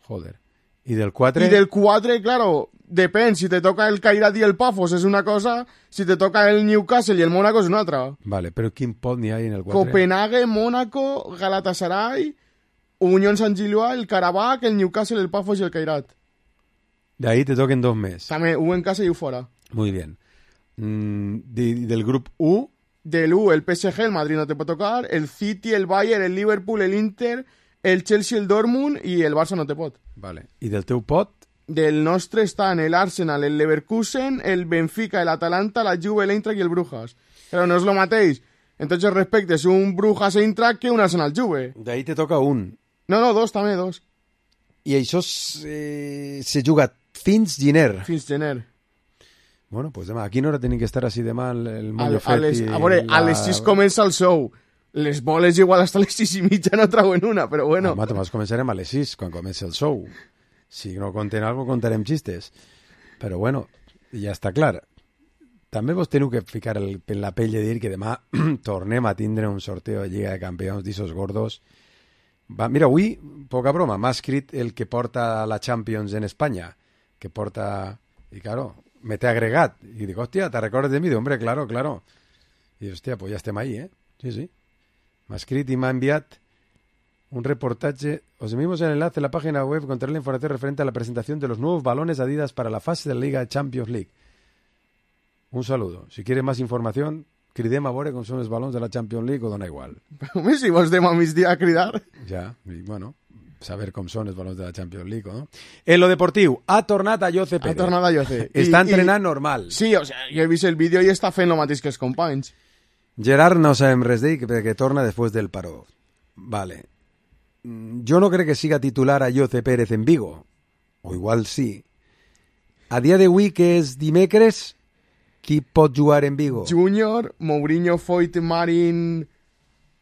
Joder. I del quatre? I del quatre, claro, depèn. Si te toca el Kairat i el Pafos és una cosa, si te toca el Newcastle i el Mónaco és una altra. Vale, però quin pot n'hi ha en el quatre? Copenhague, Mónaco, Galatasaray, Unión San Gilloa, el Karabakh, el Newcastle, el Pafos y el Kairat. De ahí te toquen dos meses. También U en casa y U fuera. Muy bien. Mm, de, del grupo U. Del U, el P S G, el Madrid no te puede tocar, el City, el Bayern, el Liverpool, el Inter, el Chelsea, el Dortmund y el Barça no te pot. Vale. I del teu pot? Del nostre estan el Arsenal, el Leverkusen, el Benfica, el Atalanta, la Juve, el Eintracht y el Brujas. Pero no es lo matéis. Entonces respectes un Brujas Eintracht que un Arsenal Juve. De ahí te toca un. No, no, dos també, dos. I això eh, se juga fins gener. Fins gener. Bueno, pues demà, aquí no hora tenim que estar així demà el, el Moño a, a, les, i a, veure, la... a les sis comença el show. Les boles igual hasta les sis i mitja no trauen una, però bueno. Home, només començarem a les sis, quan comença el show. Si no conten algo, contarem xistes. Però bueno, ja està clar. També vos teniu que ficar el, en la pell de dir que demà tornem a tindre un sorteo de Lliga de Campions d'Isos Gordos. Va, mira, avui, poca broma, m'ha escrit el que porta la Champions en Espanya, que porta... I claro, me t'he agregat. I dic, hòstia, ¿te recordes de mi? Dic, hombre, claro, claro. I hòstia, pues ja estem ahí, eh? Sí, sí. M'ha escrit i m'ha enviat un reportaje. Os enviamos el enlace a la página web con la información referente a la presentación de los nuevos balones Adidas para la fase de la Liga Champions League. Un saludo. Si quieres más información, cridem a veure com són els balons de la Champions League o dona igual. Home, si vos dem a migdia a cridar. Ja, i bueno, saber com són els balons de la Champions League, no? En lo deportiu, ha tornat a Jose Pérez. Ha tornat a Jose. Està I, entrenant i... normal. Sí, o sea, jo he vist el vídeo i està fent el mateix que els companys. Gerard no sabem res d'ell perquè torna després del paró. Vale. Jo no crec que siga titular a Jose Pérez en Vigo. O igual sí. A dia d'avui, que és dimecres, qui pot jugar en Vigo? Júnior, Mourinho, Foyt, Marín,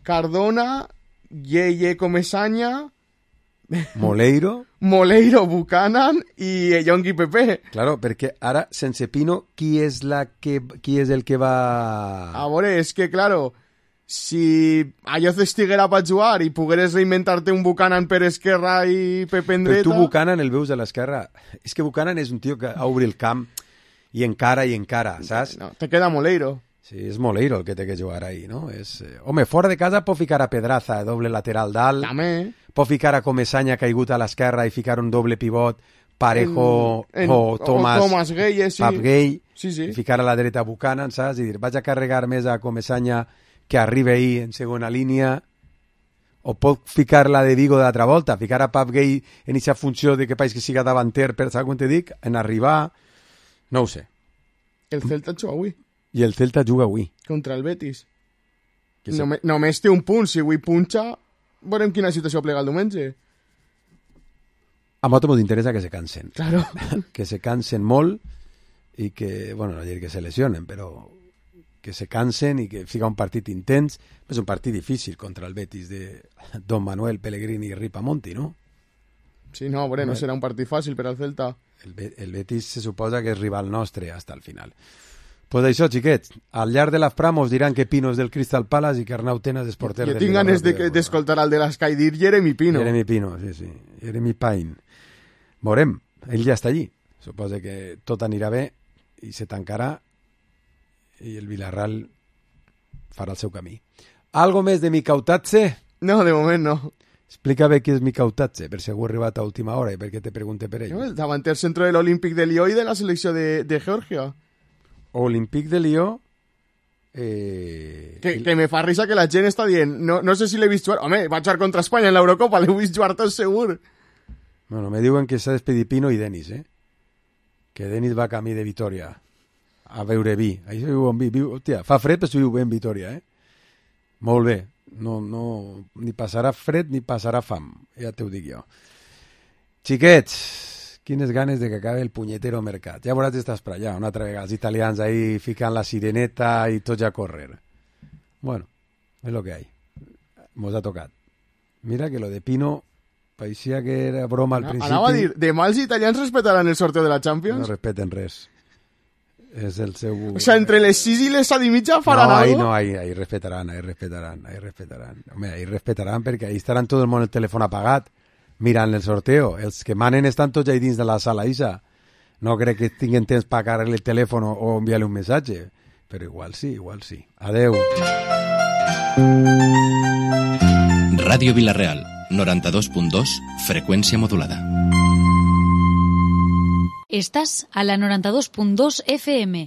Cardona, Yeye Comesaña... Moleiro. Moleiro, Buchanan i Yonki Pepe. Claro, perquè ara, sense Pino, qui és, la que, qui és el que va... A veure, és que, claro, si allò estiguera per jugar i pogueres reinventar-te un Buchanan per esquerra i Pepe en dreta... Però tu Buchanan el veus a l'esquerra. És que Buchanan és un tio que obri el camp i encara i encara, saps? No, te queda Moleiro. Sí, és Moleiro el que té que jugar ahí, no? És, eh... Home, fora de casa pot ficar a Pedraza, doble lateral dalt. També. Pot ficar a Comesaña caigut a l'esquerra i ficar un doble pivot, Parejo en, en, o Thomas, o Thomas Gay, sí. Pap Gay, sí, sí. I ficar a la dreta Buchanan, saps? I dir, vaig a carregar més a Comesaña que arriba ahí en segona línia, o pot ficar la de Vigo d'altra volta, ficar a Pap Gay en aquesta funció de que país que siga davanter, per saber com te dic, en arribar, no ho sé. El Celta juga avui. I el Celta juga avui. Contra el Betis. Que Només, només té un punt, si avui punxa... Veurem quina situació plega el diumenge. A nosaltres ens interessa que se cansen. Claro. Que se cansen molt i que, bueno, no dir que se lesionen, però que se cansen i que fica un partit intens. És un partit difícil contra el Betis de Don Manuel Pellegrini i Ripamonti, no? Sí, no, bueno, no serà un partit fàcil per al Celta. El, Be el Betis se suposa que és rival nostre hasta el final. Pues això, xiquets, al llarg de l'Afpram us diran que Pino és del Crystal Palace i que Arnau Tenas és porter del... Jo tinc ganes d'escoltar el de l'Sky dir Jeremy Pino. Jeremy Pino, sí, sí. Jeremy Pine. Veurem, ell ja està allí. Suposa que tot anirà bé i se tancarà i el Villarreal farà el seu camí. Algo més de Mikautatze? No, de moment no. Explica bé qui és Mikautatze, per si algú ha arribat a última hora i perquè te pregunte per ell. No, el davanter centro de l'Olímpic de Lió i de la selecció de, de Georgia. Olímpic de Lió eh... que, que me fa risa que la gent està dient no, no sé si l'he vist jugar, home, va jugar contra Espanya en l'Eurocopa, l'he vist jugar tot segur. Bueno, me diuen que s'ha despedit Pino i Denis, eh? Que Denis va camí de Vitoria a veure vi, ahí se viu en vi, viu, hòstia, fa fred però se viu bé en Vitoria, eh? Molt bé, no, no, ni passarà fred ni passarà fam, ja t'ho dic jo. Xiquets, quines ganes de que acabe el punyetero mercat. Ja veuràs estàs per allà, una altra vegada, els italians ahí ficant la sireneta i tots a córrer. Bueno, és lo que hay. Mos ha tocat. Mira que lo de Pino parecía que era broma al no, principi. Anava a dir, demà els italians respetaran el sorteo de la Champions? No respeten res. És el seu... O sea, entre les sis i les set i mitja faran no, ahí, algo? No, ahí, ahí respetaran, ahí respetaran, ahí respetaran. Home, ahí respetaran perquè ahí estaran tot el món el telèfon apagat mirant el sorteo. Els que manen estan tots allà dins de la sala, Isa. No crec que tinguin temps per agarrar-li el telèfon o, o enviar-li un missatge. Però igual sí, igual sí. Adeu. Ràdio Vilareal, noranta-dos punt dos, freqüència modulada. Estàs a la noranta-dos punt dos F M.